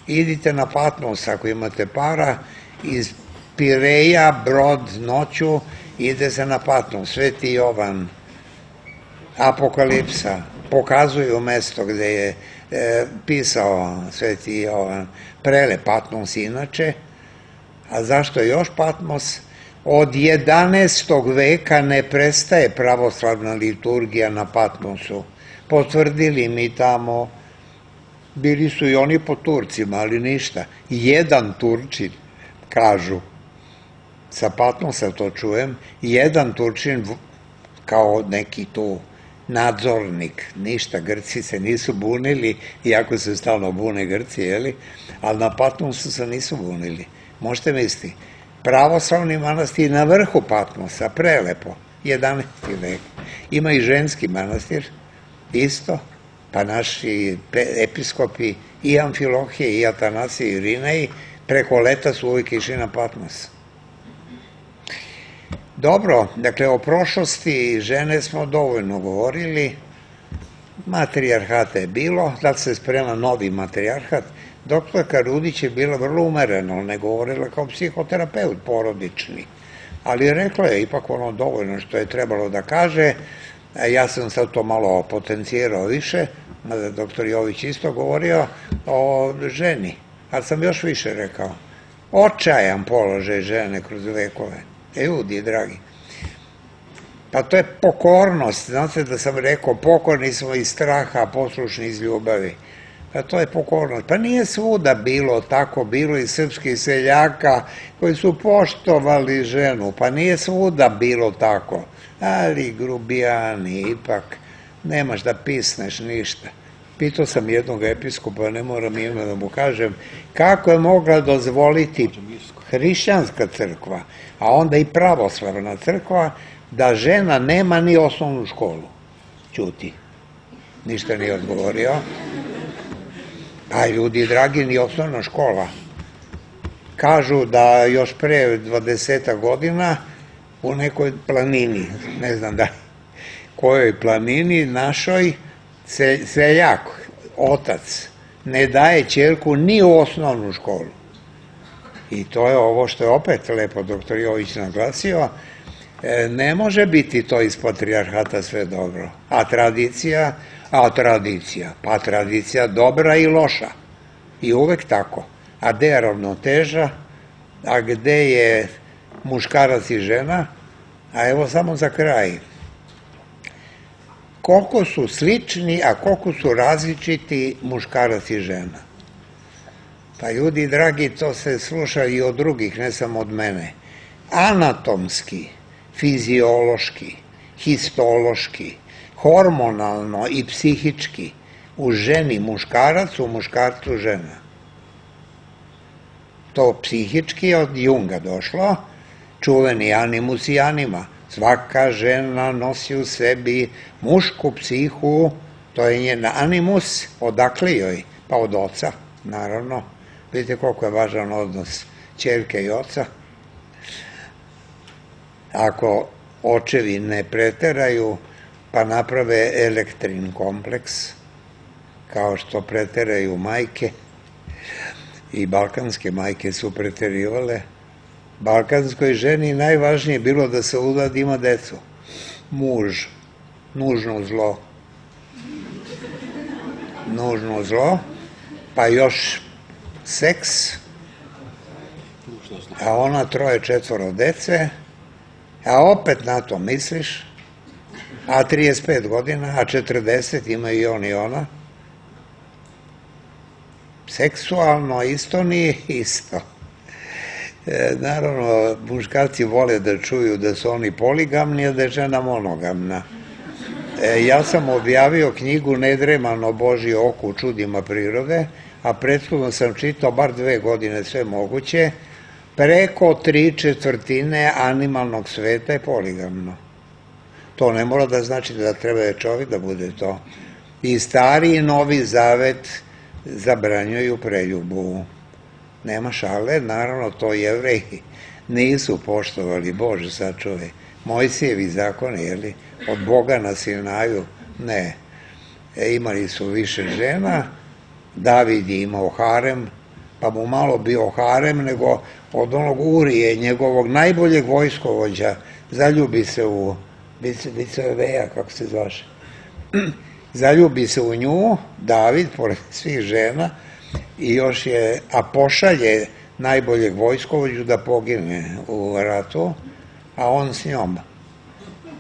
Idite na Patmos ako imate para, iz Pireja, brod noću, ide se na Patmos. Sveti Jovan, Apokalipsa, pokazuju mesto gde je pisao Sveti Jovan. Prelep Patmos inače. A zašto još Patmos? Od 11. veka ne prestaje pravoslavna liturgija na Patmosu. Potvrdili mi tamo, bili su i oni po Turcima, ali ništa. Jedan Turčin, kažu, sa Patmosa to čujem, jedan Turčin kao neki tu nadzornik, ništa, Grci se nisu bunili, iako se stalno bune Grci, jeli, ali na Patmosu se nisu bunili. Možete misliti, pravoslavni manastir na vrhu Patmosa, prelepo, 11. vek. Ima i ženski manastir, isto, pa naši episkopi i Amfilohije, i Atanasije, i Irinej, preko leta su uvijek išli na Patmos. Dobro, dakle, o prošlosti žene smo dovoljno govorili, matrijarhata je bilo, da se sprema novi matrijarhat. Doktorka Rudić je bila vrlo umerena, ne govorila kao psihoterapeut porodični, ali rekla je ipak ono dovoljno što je trebalo da kaže. Ja sam sad to malo potencijirao više, mada doktor Jović isto govorio o ženi, ali sam još više rekao. Očajan položaj žene kroz vekove. Ljudi, dragi. Pa to je pokornost. Znate da sam rekao, pokorni smo iz straha, poslušni iz ljubavi. Pa to je pokornost. Pa nije svuda bilo tako, bilo i srpskih seljaka koji su poštovali ženu. Pa nije svuda bilo tako. Ali grubijani, ipak, nemaš da pisneš ništa. Pitao sam jednog episkopa, ne moram ime da mu kažem, kako je mogla dozvoliti hrišćanska crkva, a onda i pravoslavna crkva, da žena nema ni osnovnu školu. Ćuti. Ništa nije odgovorio. A ljudi dragi, ni osnovna škola. Kažu da još pre 20 godina u nekoj planini, ne znam da kojoj planini, našoj seljak, otac, ne daje ćerku ni u osnovnu školu. I to je ovo što je opet lepo doktor Jović naglasio, ne može biti to iz patrijarhata sve dobro. A tradicija, pa tradicija dobra i loša. I uvek tako. A gde je ravnoteža, a gde je muškarac i žena, a evo samo za kraj. Koliko su slični, a koliko su različiti muškarac i žena. Pa ljudi dragi, to se sluša i od drugih, ne samo od mene. Anatomski, fiziološki, histološki, hormonalno i psihički, u ženi muškarac, u muškarcu žena. To psihički od Junga došlo, čuveni animus i anima. Svaka žena nosi u sebi mušku psihu, to je njen animus, odakle joj? Pa od oca, naravno. Vidite koliko je važan odnos ćerke i oca. Ako očevi ne preteraju, pa naprave elektrin kompleks, kao što preteraju majke, i balkanske majke su preterivale. Balkanskoj ženi najvažnije je bilo da se uda da ima decu. Muž, nužno zlo. Nužno zlo, pa još seks, a ona 3-4 dece, a opet na to misliš, a 35 godina, a 40 ima i on i ona. Seksualno isto nije isto. Naravno, muškarci vole da čuju da su oni poligamni, a da je žena monogamna. Ja sam objavio knjigu Nedremano Božje oko u čudima prirode, a prethodno sam čitao bar 2 godine sve moguće. Preko 3/4 animalnog sveta je poligamno. To ne mora da znači da treba čovjek da bude to. I Stari i Novi Zavet zabranjuju preljubu. Nema šale, naravno to Jevreji nisu poštovali, Bože sačuvaj. Mojsijevi zakoni, jeli, od Boga na Sinaju, ne. Imali su više žena, David je imao harem, pa mu malo bio harem, nego od onog Urije, njegovog najboljeg vojskovođa, zaljubi se u Biceveja, kako se zvaše, zaljubi se u nju, David, pored svih žena, i još je, a pošalje najboljeg vojskovođu da pogine u ratu, a on s njom.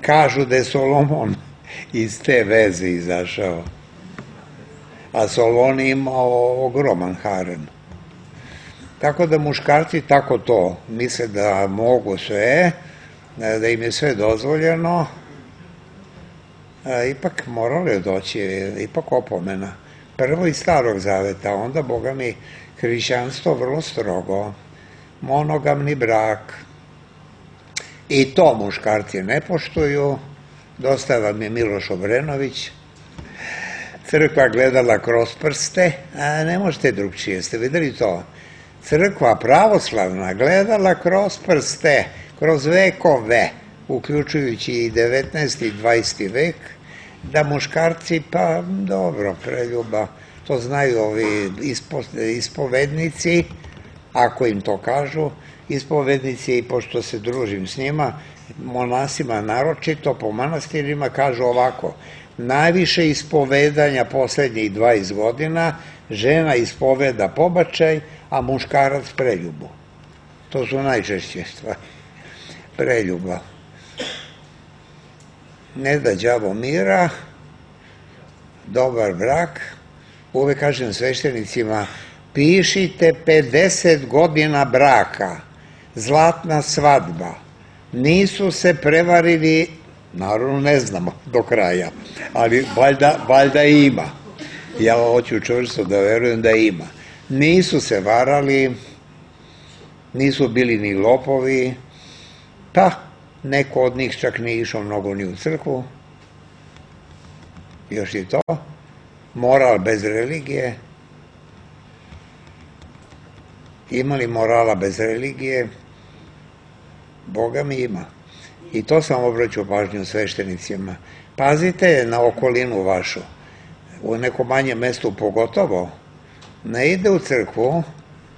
Kažu da je Solomon iz te veze izašao, a Solon je imao ogroman harem. Tako da muškarci tako to misle da mogu sve, da im je sve dozvoljeno, ipak moralo doći, ipak opomena. Prvo iz Starog Zaveta, onda, Boga mi, hrišćanstvo vrlo strogo, monogamni brak. I to muškarci ne poštuju, dosta vam je Miloš Obrenović, crkva gledala kroz prste, a ne možete drugčije, ste videli to? Crkva pravoslavna gledala kroz prste, kroz vekove, uključujući i 19. i 20. vek, da muškarci, pa dobro, preljuba, to znaju ovi ispovednici, ako im to kažu, ispovednici, pošto se družim s njima, monasima naročito, po manastirima kažu ovako: najviše ispovedanja poslednjih 20 godina, žena ispoveda pobačaj, a muškarac preljubu. To su najčešće stvari. Preljuba. Ne da đavo mira, dobar brak. Uvek kažem sveštenicima, pišite 50 godina braka, zlatna svadba. Nisu se prevarili, naravno ne znamo do kraja, ali valjda ima. Ja hoću čvrsto da verujem da ima. Nisu se varali, nisu bili ni lopovi, pa neko od njih čak nije išao mnogo ni u crkvu. Još i to. Moral bez religije. Ima li morala bez religije? Boga mi ima. I to sam obraćao pažnju sveštenicima. Pazite na okolinu vašu. U nekom manjem mestu pogotovo. Ne ide u crkvu,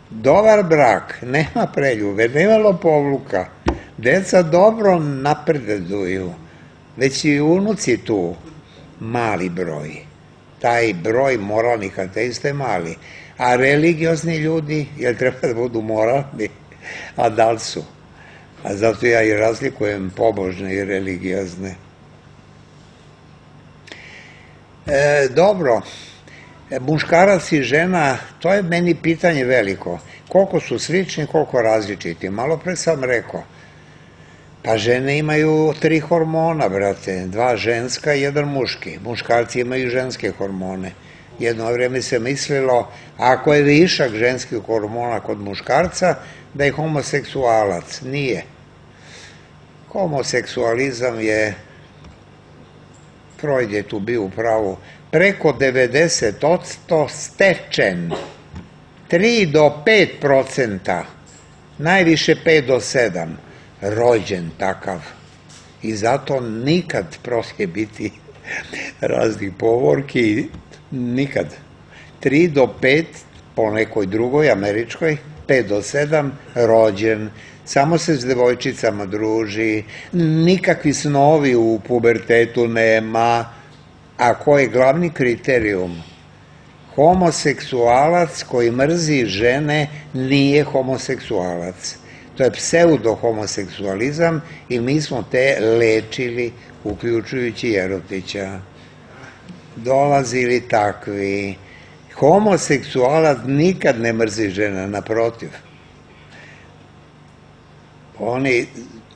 dobar brak, nema preljube, nema lopovluka. Deca dobro napreduju, već i unuci tu, mali broj. Taj broj moralnih ateista je mali. A religiozni ljudi, jel treba da budu moralni? A da li su? A zato ja i razlikujem pobožne i religiozne. Dobro, muškarac i žena, to je meni pitanje veliko. Koliko su slični, koliko različiti. Malo pre sam rekao, pa žene imaju 3 hormona, brate, 2 ženska i 1 muški. Muškarci imaju ženske hormone. Jedno vreme se mislilo, ako je višak ženskih hormona kod muškarca, da je homoseksualac. Nije. Homoseksualizam je, Freud je tu bio u pravu, preko 90% stečen. 3 do 5%, najviše 5 do 7%, rođen takav. I zato nikad proće biti raznih povorki, Nikad. 3 do 5 po nekoj drugoj američkoj, 5 do 7 rođen, samo se s devojčicama druži, nikakvi snovi u pubertetu nema, a koji je glavni kriterijum? Homoseksualac koji mrzi žene nije homoseksualac. To je pseudo-homoseksualizam i mi smo te lečili, uključujući Jerotića. Dolazili takvi. Homoseksualac nikad ne mrzi žena, naprotiv. Oni,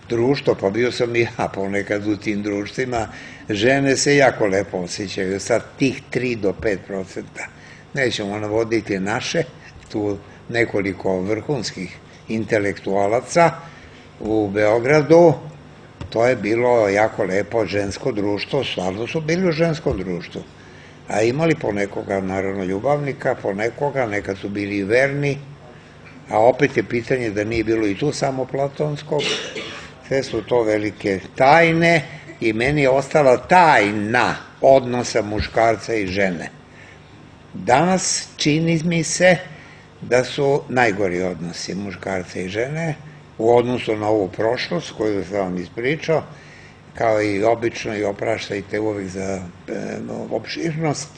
društvo, pa bio sam i ja ponekad u tim društvima, žene se jako lepo osjećaju, sad tih 3 do 5%. Nećemo navoditi naše, tu nekoliko vrhunskih intelektualaca u Beogradu, to je bilo jako lepo žensko društvo, stvarno su bili u ženskom društvu. A imali ponekoga, naravno, ljubavnika, ponekoga, nekad su bili i verni, a opet je pitanje da nije bilo i tu samo platonskog. Sve su to velike tajne i meni je ostala tajna odnosa muškarca i žene. Danas čini mi se da su najgori odnosi muškarca i žene u odnosu na ovu prošlost koju sam vam ispričao, kao i obično i opraštajte uvek za opširnost.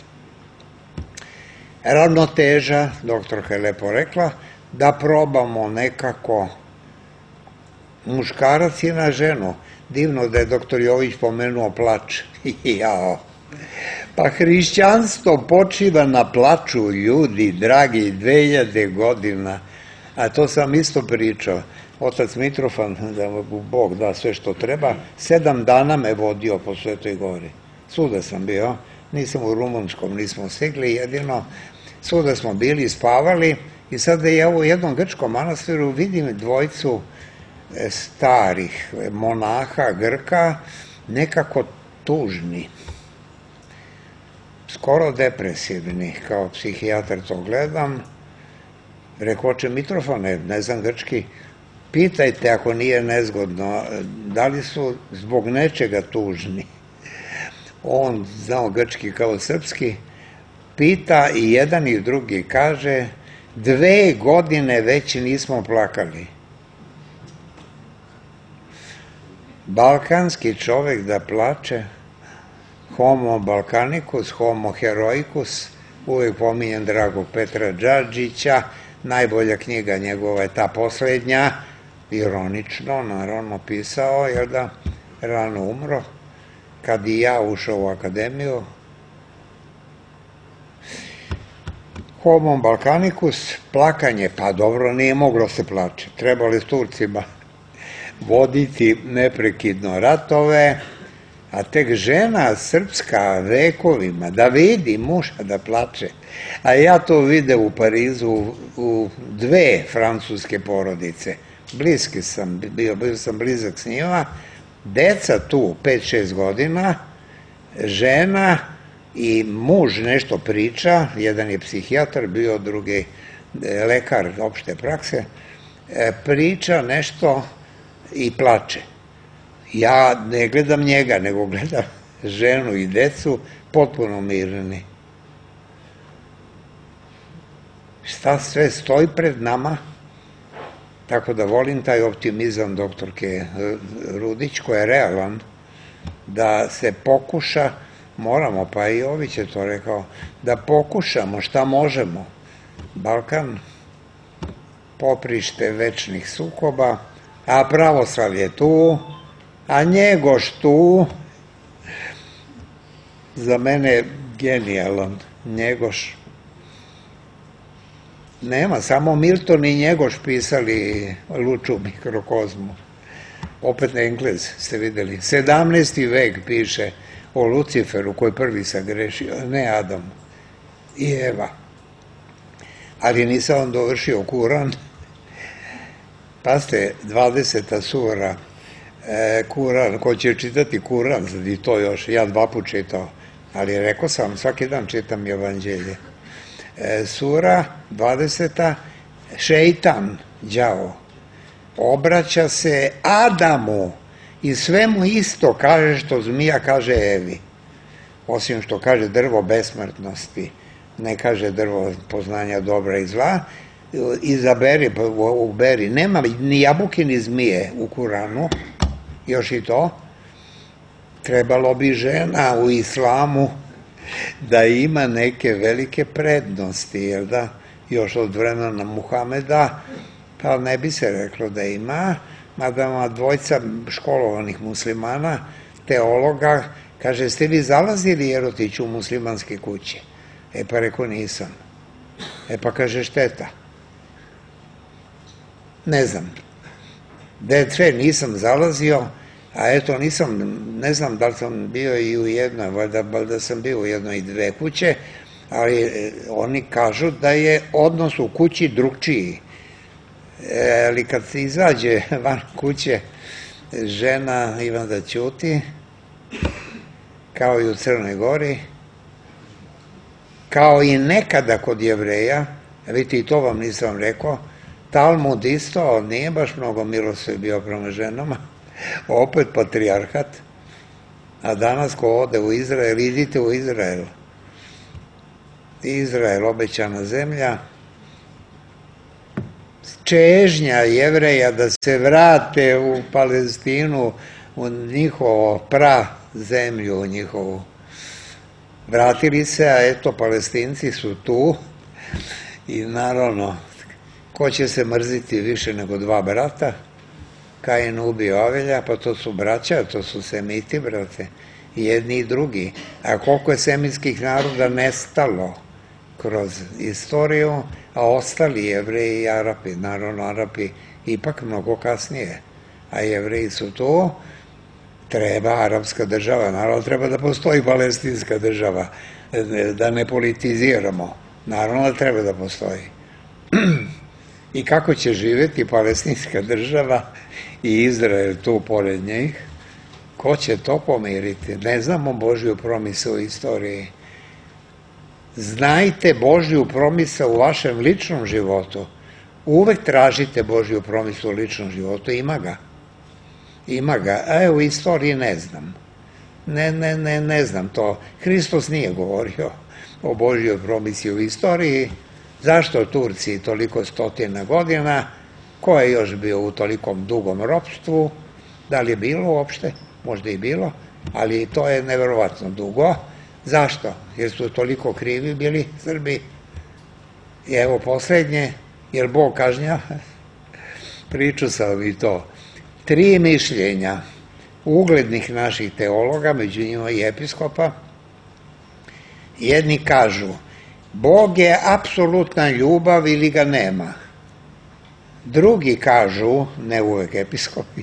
Ravnoteža, doktorka je lepo rekla, da probamo nekako, muškarac je na ženu. Divno da je doktor Jović pomenuo plač. Jao. Pa hrišćanstvo počiva na plaču, ljudi, dragi, 2000 godina. A to sam isto pričao. Otac Mitrofan, da mu Bog da sve što treba, 7 dana me vodio po Svetoj Gori. Svuda sam bio, nisam u Rumunskom, nismo stigli, jedino svuda smo bili, spavali i sada ja u jednom grčkom manastiru vidim dvojicu starih monaha, Grka, nekako tužni, skoro depresivni, kao psihijatar to gledam. Rekoče Mitrofane, ne znam grčki, pitajte ako nije nezgodno, da li su zbog nečega tužni. On, znao grčki kao srpski, pita i jedan i drugi, kaže, 2 godine već nismo plakali. Balkanski čovek da plače, homo balkanicus, homo heroicus, uvijek pominjem dragog Petra Džadžića, najbolja knjiga njegova je ta poslednja, ironično, naravno pisao, jer da rano umro, kad i ja ušao u akademiju. Homo balkanicus, plakanje, pa dobro, nije moglo se plače, trebali s Turcima voditi neprekidno ratove, a tek žena srpska vekovima, da vidi muža da plače. A ja to vide u Parizu u 2 francuske porodice. Bliski sam bio sam blizak s njima. Deca tu, 5-6 godina, žena i muž nešto priča, jedan je psihijatar, bio drugi lekar opšte prakse, priča nešto i plače. Ja ne gledam njega, nego gledam ženu i decu, potpuno mirni. Šta sve stoji pred nama? Tako da volim taj optimizam doktorke Rudić, koji je realan, da se pokuša, moramo, pa i Jović je to rekao, da pokušamo šta možemo. Balkan, poprište večnih sukoba, a pravoslavlje tu, a Njegoš tu, za mene genijalan Njegoš. Nema, samo Milton i Njegoš pisali Luču mikrokozmu. Opet na Englez ste videli. 17. vek piše o Luciferu koji prvi sagrešio, ne Adam i Eva. Ali nisam on dovršio Kuran. Pazite, 20. sura Kuran, ko će čitati Kuran, sad i to još, ja 2 puta čitao, ali rekao sam, svaki dan čitam Evanđelje. Sura 20. Šeitan, đavo, obraća se Adamu i sve mu isto kaže što zmija kaže Evi. osim što kaže drvo besmrtnosti, ne kaže drvo poznanja dobra i zla, izaberi, uberi, nema ni jabuke ni zmije u Kuranu, još i to, trebalo bi žena u islamu da ima neke velike prednosti, jel da, još od vremena Muhameda, pa ne bi se reklo da ima, mada dvojca školovanih muslimana, teologa, kaže, ste vi zalazili, Jerotić, u muslimanske kuće? Pa rekao, nisam. Pa kaže, šteta. Ne znam. D3 nisam zalazio, a eto nisam, ne znam da li sam bio i u jednoj, valjda sam bio u jednoj i dve kuće, ali oni kažu da je odnos u kući drugčiji. Ali kad se izađe van kuće, žena ima da ćuti, kao i u Crnoj Gori, kao i nekada kod Jevreja, vidite i to vam nisam rekao, Talmud isto nije baš mnogo milostiv bio prema ženama, opet patrijarhat, a danas ko ode u Izrael, idite u Izrael. Izrael, obećana zemlja, čežnja Jevreja da se vrate u Palestinu, u njihovo zemlju, u njihovu. Vratili se, a eto, Palestinci su tu i naravno, ko će se mrziti više nego dva brata? Kain ubio Avelja, pa to su braća, to su semiti, brate, jedni i drugi. A koliko je semitskih naroda nestalo kroz istoriju, a ostali Jevreji i Arapi, naravno Arapi ipak mnogo kasnije, a Jevreji su tu, treba arapska država, naravno treba da postoji palestinska država, da ne politiziramo, naravno da treba da postoji. I kako će živjeti palestinska država i Izrael tu pored njih, ko će to pomiriti? Ne znamo Božju promisao u istoriji. Znajte Božju promisao u vašem ličnom životu. Uvek tražite Božju promisao u ličnom životu, ima ga. Ima ga, a u istoriji ne znam. Ne znam to. Hristos nije govorio o Božjoj promisiji u istoriji. Zašto Turci toliko stotina godina? Ko je još bio u tolikom dugom ropstvu? Da li je bilo uopšte? Možda i bilo, ali to je neverovatno dugo. Zašto? Jer su toliko krivi bili Srbi. I evo poslednje, jer Bog kažnja. Priču sam i to. 3 mišljenja uglednih naših teologa, među njima i episkopa. Jedni kažu, Bog je apsolutna ljubav ili ga nema. Drugi kažu, ne uvek episkopi,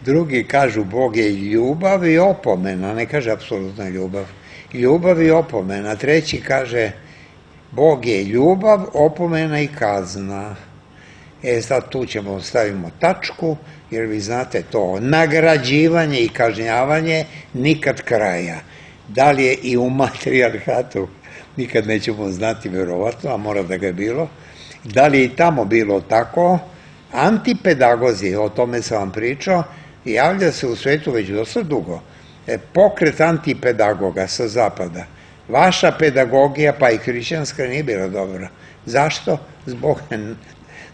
drugi kažu Bog je ljubav i opomena, ne kaže apsolutna ljubav. Ljubav i opomena. Treći kaže, Bog je ljubav, opomena i kazna. Sad tu ćemo stavimo tačku, jer vi znate to, nagrađivanje i kažnjavanje nikad kraja. Da li je i u matrijarhatu, nikad nećemo znati verovatno, a mora da ga je bilo. Da li je i tamo bilo tako? Antipedagozi, o tome sam vam pričao, javlja se u svetu već dosta dugo. Pokret antipedagoga sa zapada. Vaša pedagogija, pa i hrišćanska, nije bila dobra. Zašto? Zbog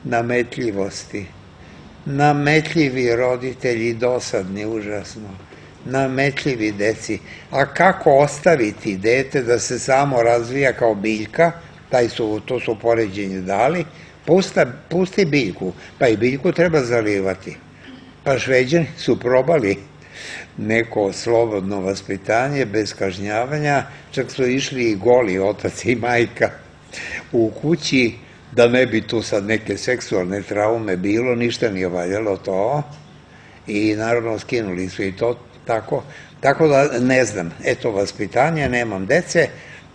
nametljivosti. Nametljivi roditelji, dosadni, užasno. Nametljivi deci. A kako ostaviti dete da se samo razvija kao biljka, to su poređenje dali, pusti biljku, pa i biljku treba zalivati. Pa Šveđani su probali neko slobodno vaspitanje, bez kažnjavanja, čak su išli i goli otac i majka u kući, da ne bi tu sad neke seksualne traume bilo, ništa nije valjalo to, i naravno skinuli su i to tako. Tako da ne znam, eto vaspitanje, nemam dece,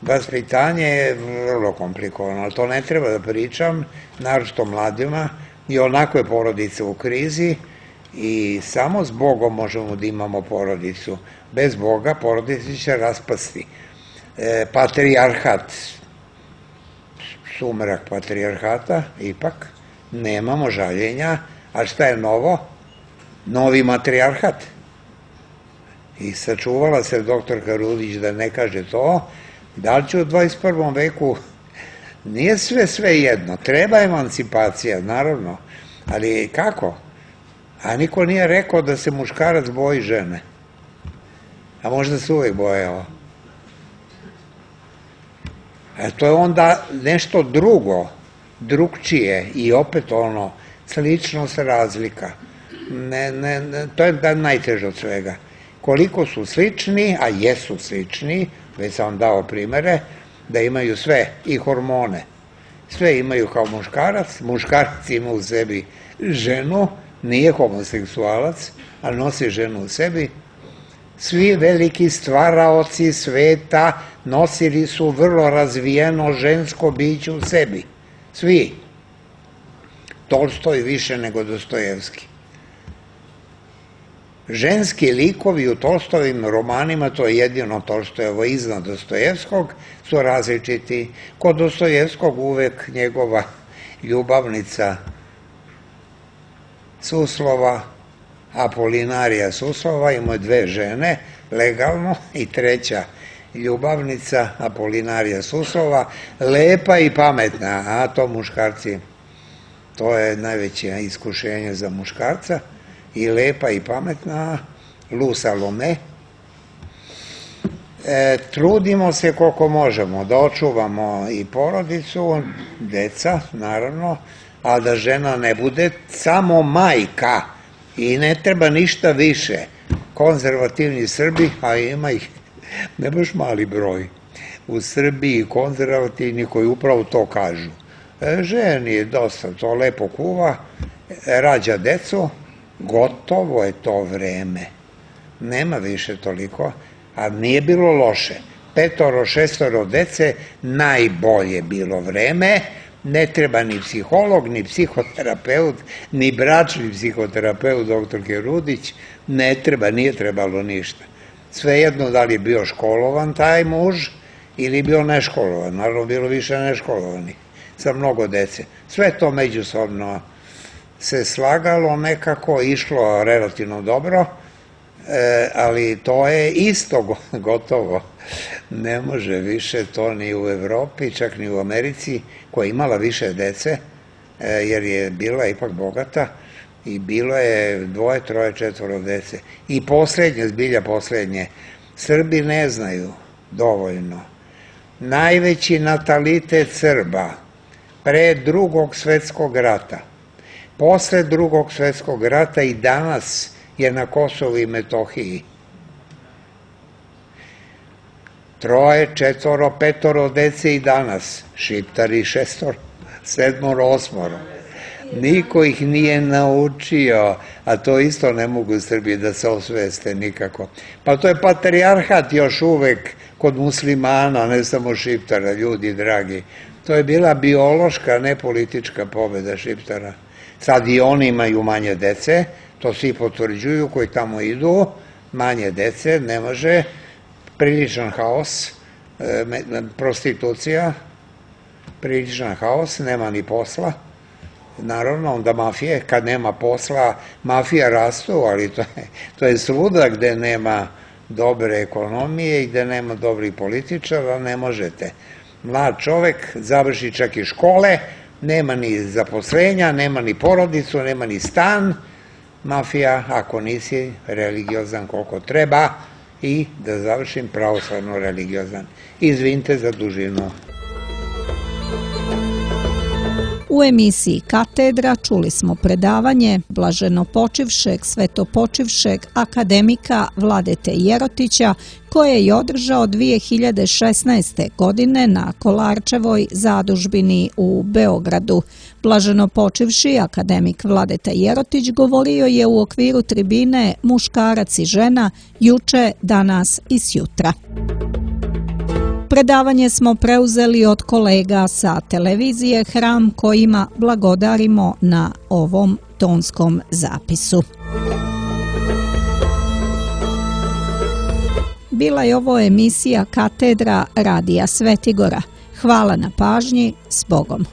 vaspitanje je vrlo komplikovano, ali to ne treba da pričam, naročito mladima, i onako je porodica u krizi i samo s Bogom možemo da imamo porodicu. Bez Boga porodica će raspasti. Patrijarhat, sumrak patrijarhata, ipak, nemamo žaljenja, a šta je novo? Novi matrijarhat. I sačuvala se doktorka Rudić da ne kaže to, da li će u 21. veku, nije sve jedno, treba emancipacija, naravno, ali kako? A niko nije rekao da se muškarac boji žene. A možda se uvek bojao. To je onda nešto drugo, drugčije i opet ono, sličnost, razlika. To je najteže od svega. Koliko su slični, a jesu slični, već sam vam dao primere, da imaju sve i hormone. Sve imaju kao muškarac, muškarac ima u sebi ženu, nije homoseksualac, ali nosi ženu u sebi. Svi veliki stvaraoci sveta nosili su vrlo razvijeno žensko biće u sebi. Svi. Tolstoj više nego Dostojevski. Ženski likovi u Tolstojevim romanima, to je jedino Tolstojevo iznad Dostojevskog, su različiti. Kod Dostojevskog uvek njegova ljubavnica Suslova, Apolinarija Suslova, imao je dve žene, legalno, i treća ljubavnica, Apolinarija Suslova, lepa i pametna, a to muškarci, to je najveće iskušenje za muškarca, i lepa i pametna, Lu Salome. Trudimo se koliko možemo da očuvamo i porodicu, deca, naravno, a da žena ne bude samo majka i ne treba ništa više. Konzervativni Srbi, a ima ih ne baš mali broj u Srbiji, konzervativni koji upravo to kažu. Ženi dosta to lepo kuva, rađa decu, gotovo je to vreme. Nema više toliko, a nije bilo loše. 5, 6 dece, najbolje bilo vreme, ne treba ni psiholog, ni psihoterapeut, ni bračni psihoterapeut doktorke Rudić, ne treba, nije trebalo ništa. Svejedno da li je bio školovan taj muž ili bio neškolovan, naravno bilo više neškolovanih, sa mnogo dece. Sve to međusobno se slagalo, nekako išlo relativno dobro, ali to je isto gotovo. Ne može više to ni u Evropi, čak ni u Americi, koja je imala više dece, jer je bila ipak bogata i bilo je 2, 3, 4 dece. I poslednje, zbilja poslednje, Srbi ne znaju dovoljno. Najveći natalitet Srba pre Drugog svetskog rata, posle Drugog svetskog rata i danas je na Kosovu i Metohiji. 3, 4, 5 dece i danas, Šiptari 6, 7, 8. Niko ih nije naučio, a to isto ne mogu Srbi da se osveste nikako. Pa to je patrijarhat još uvek kod muslimana, ne samo Šiptara, ljudi dragi. To je bila biološka, ne politička pobeda Šiptara. Sad i oni imaju manje dece, to svi potvrđuju koji tamo idu, manje dece, ne može, priličan haos, prostitucija, priličan haos, nema ni posla. Naravno, onda mafije, kad nema posla, mafija rastu, ali to je svuda gde nema dobre ekonomije i gde nema dobrih političara, ne možete. Mlad čovek završi čak i škole, nema ni zaposlenja, nema ni porodicu, nema ni stan, mafija, ako nisi religiozan koliko treba, i da završim pravoslavno religiozan. Izvinite za dužinu. U emisiji Katedra čuli smo predavanje blaženopočivšeg, svetopočivšeg akademika Vladete Jerotića, koje je održao 2016. godine na Kolarčevoj zadužbini u Beogradu. Blaženopočivši akademik Vladeta Jerotić govorio je u okviru tribine Muškarac i žena juče, danas i sjutra. Predavanje smo preuzeli od kolega sa televizije Hram, kojima blagodarimo na ovom tonskom zapisu. Bila je ovo emisija Katedra Radija Svetigora. Hvala na pažnji, s Bogom.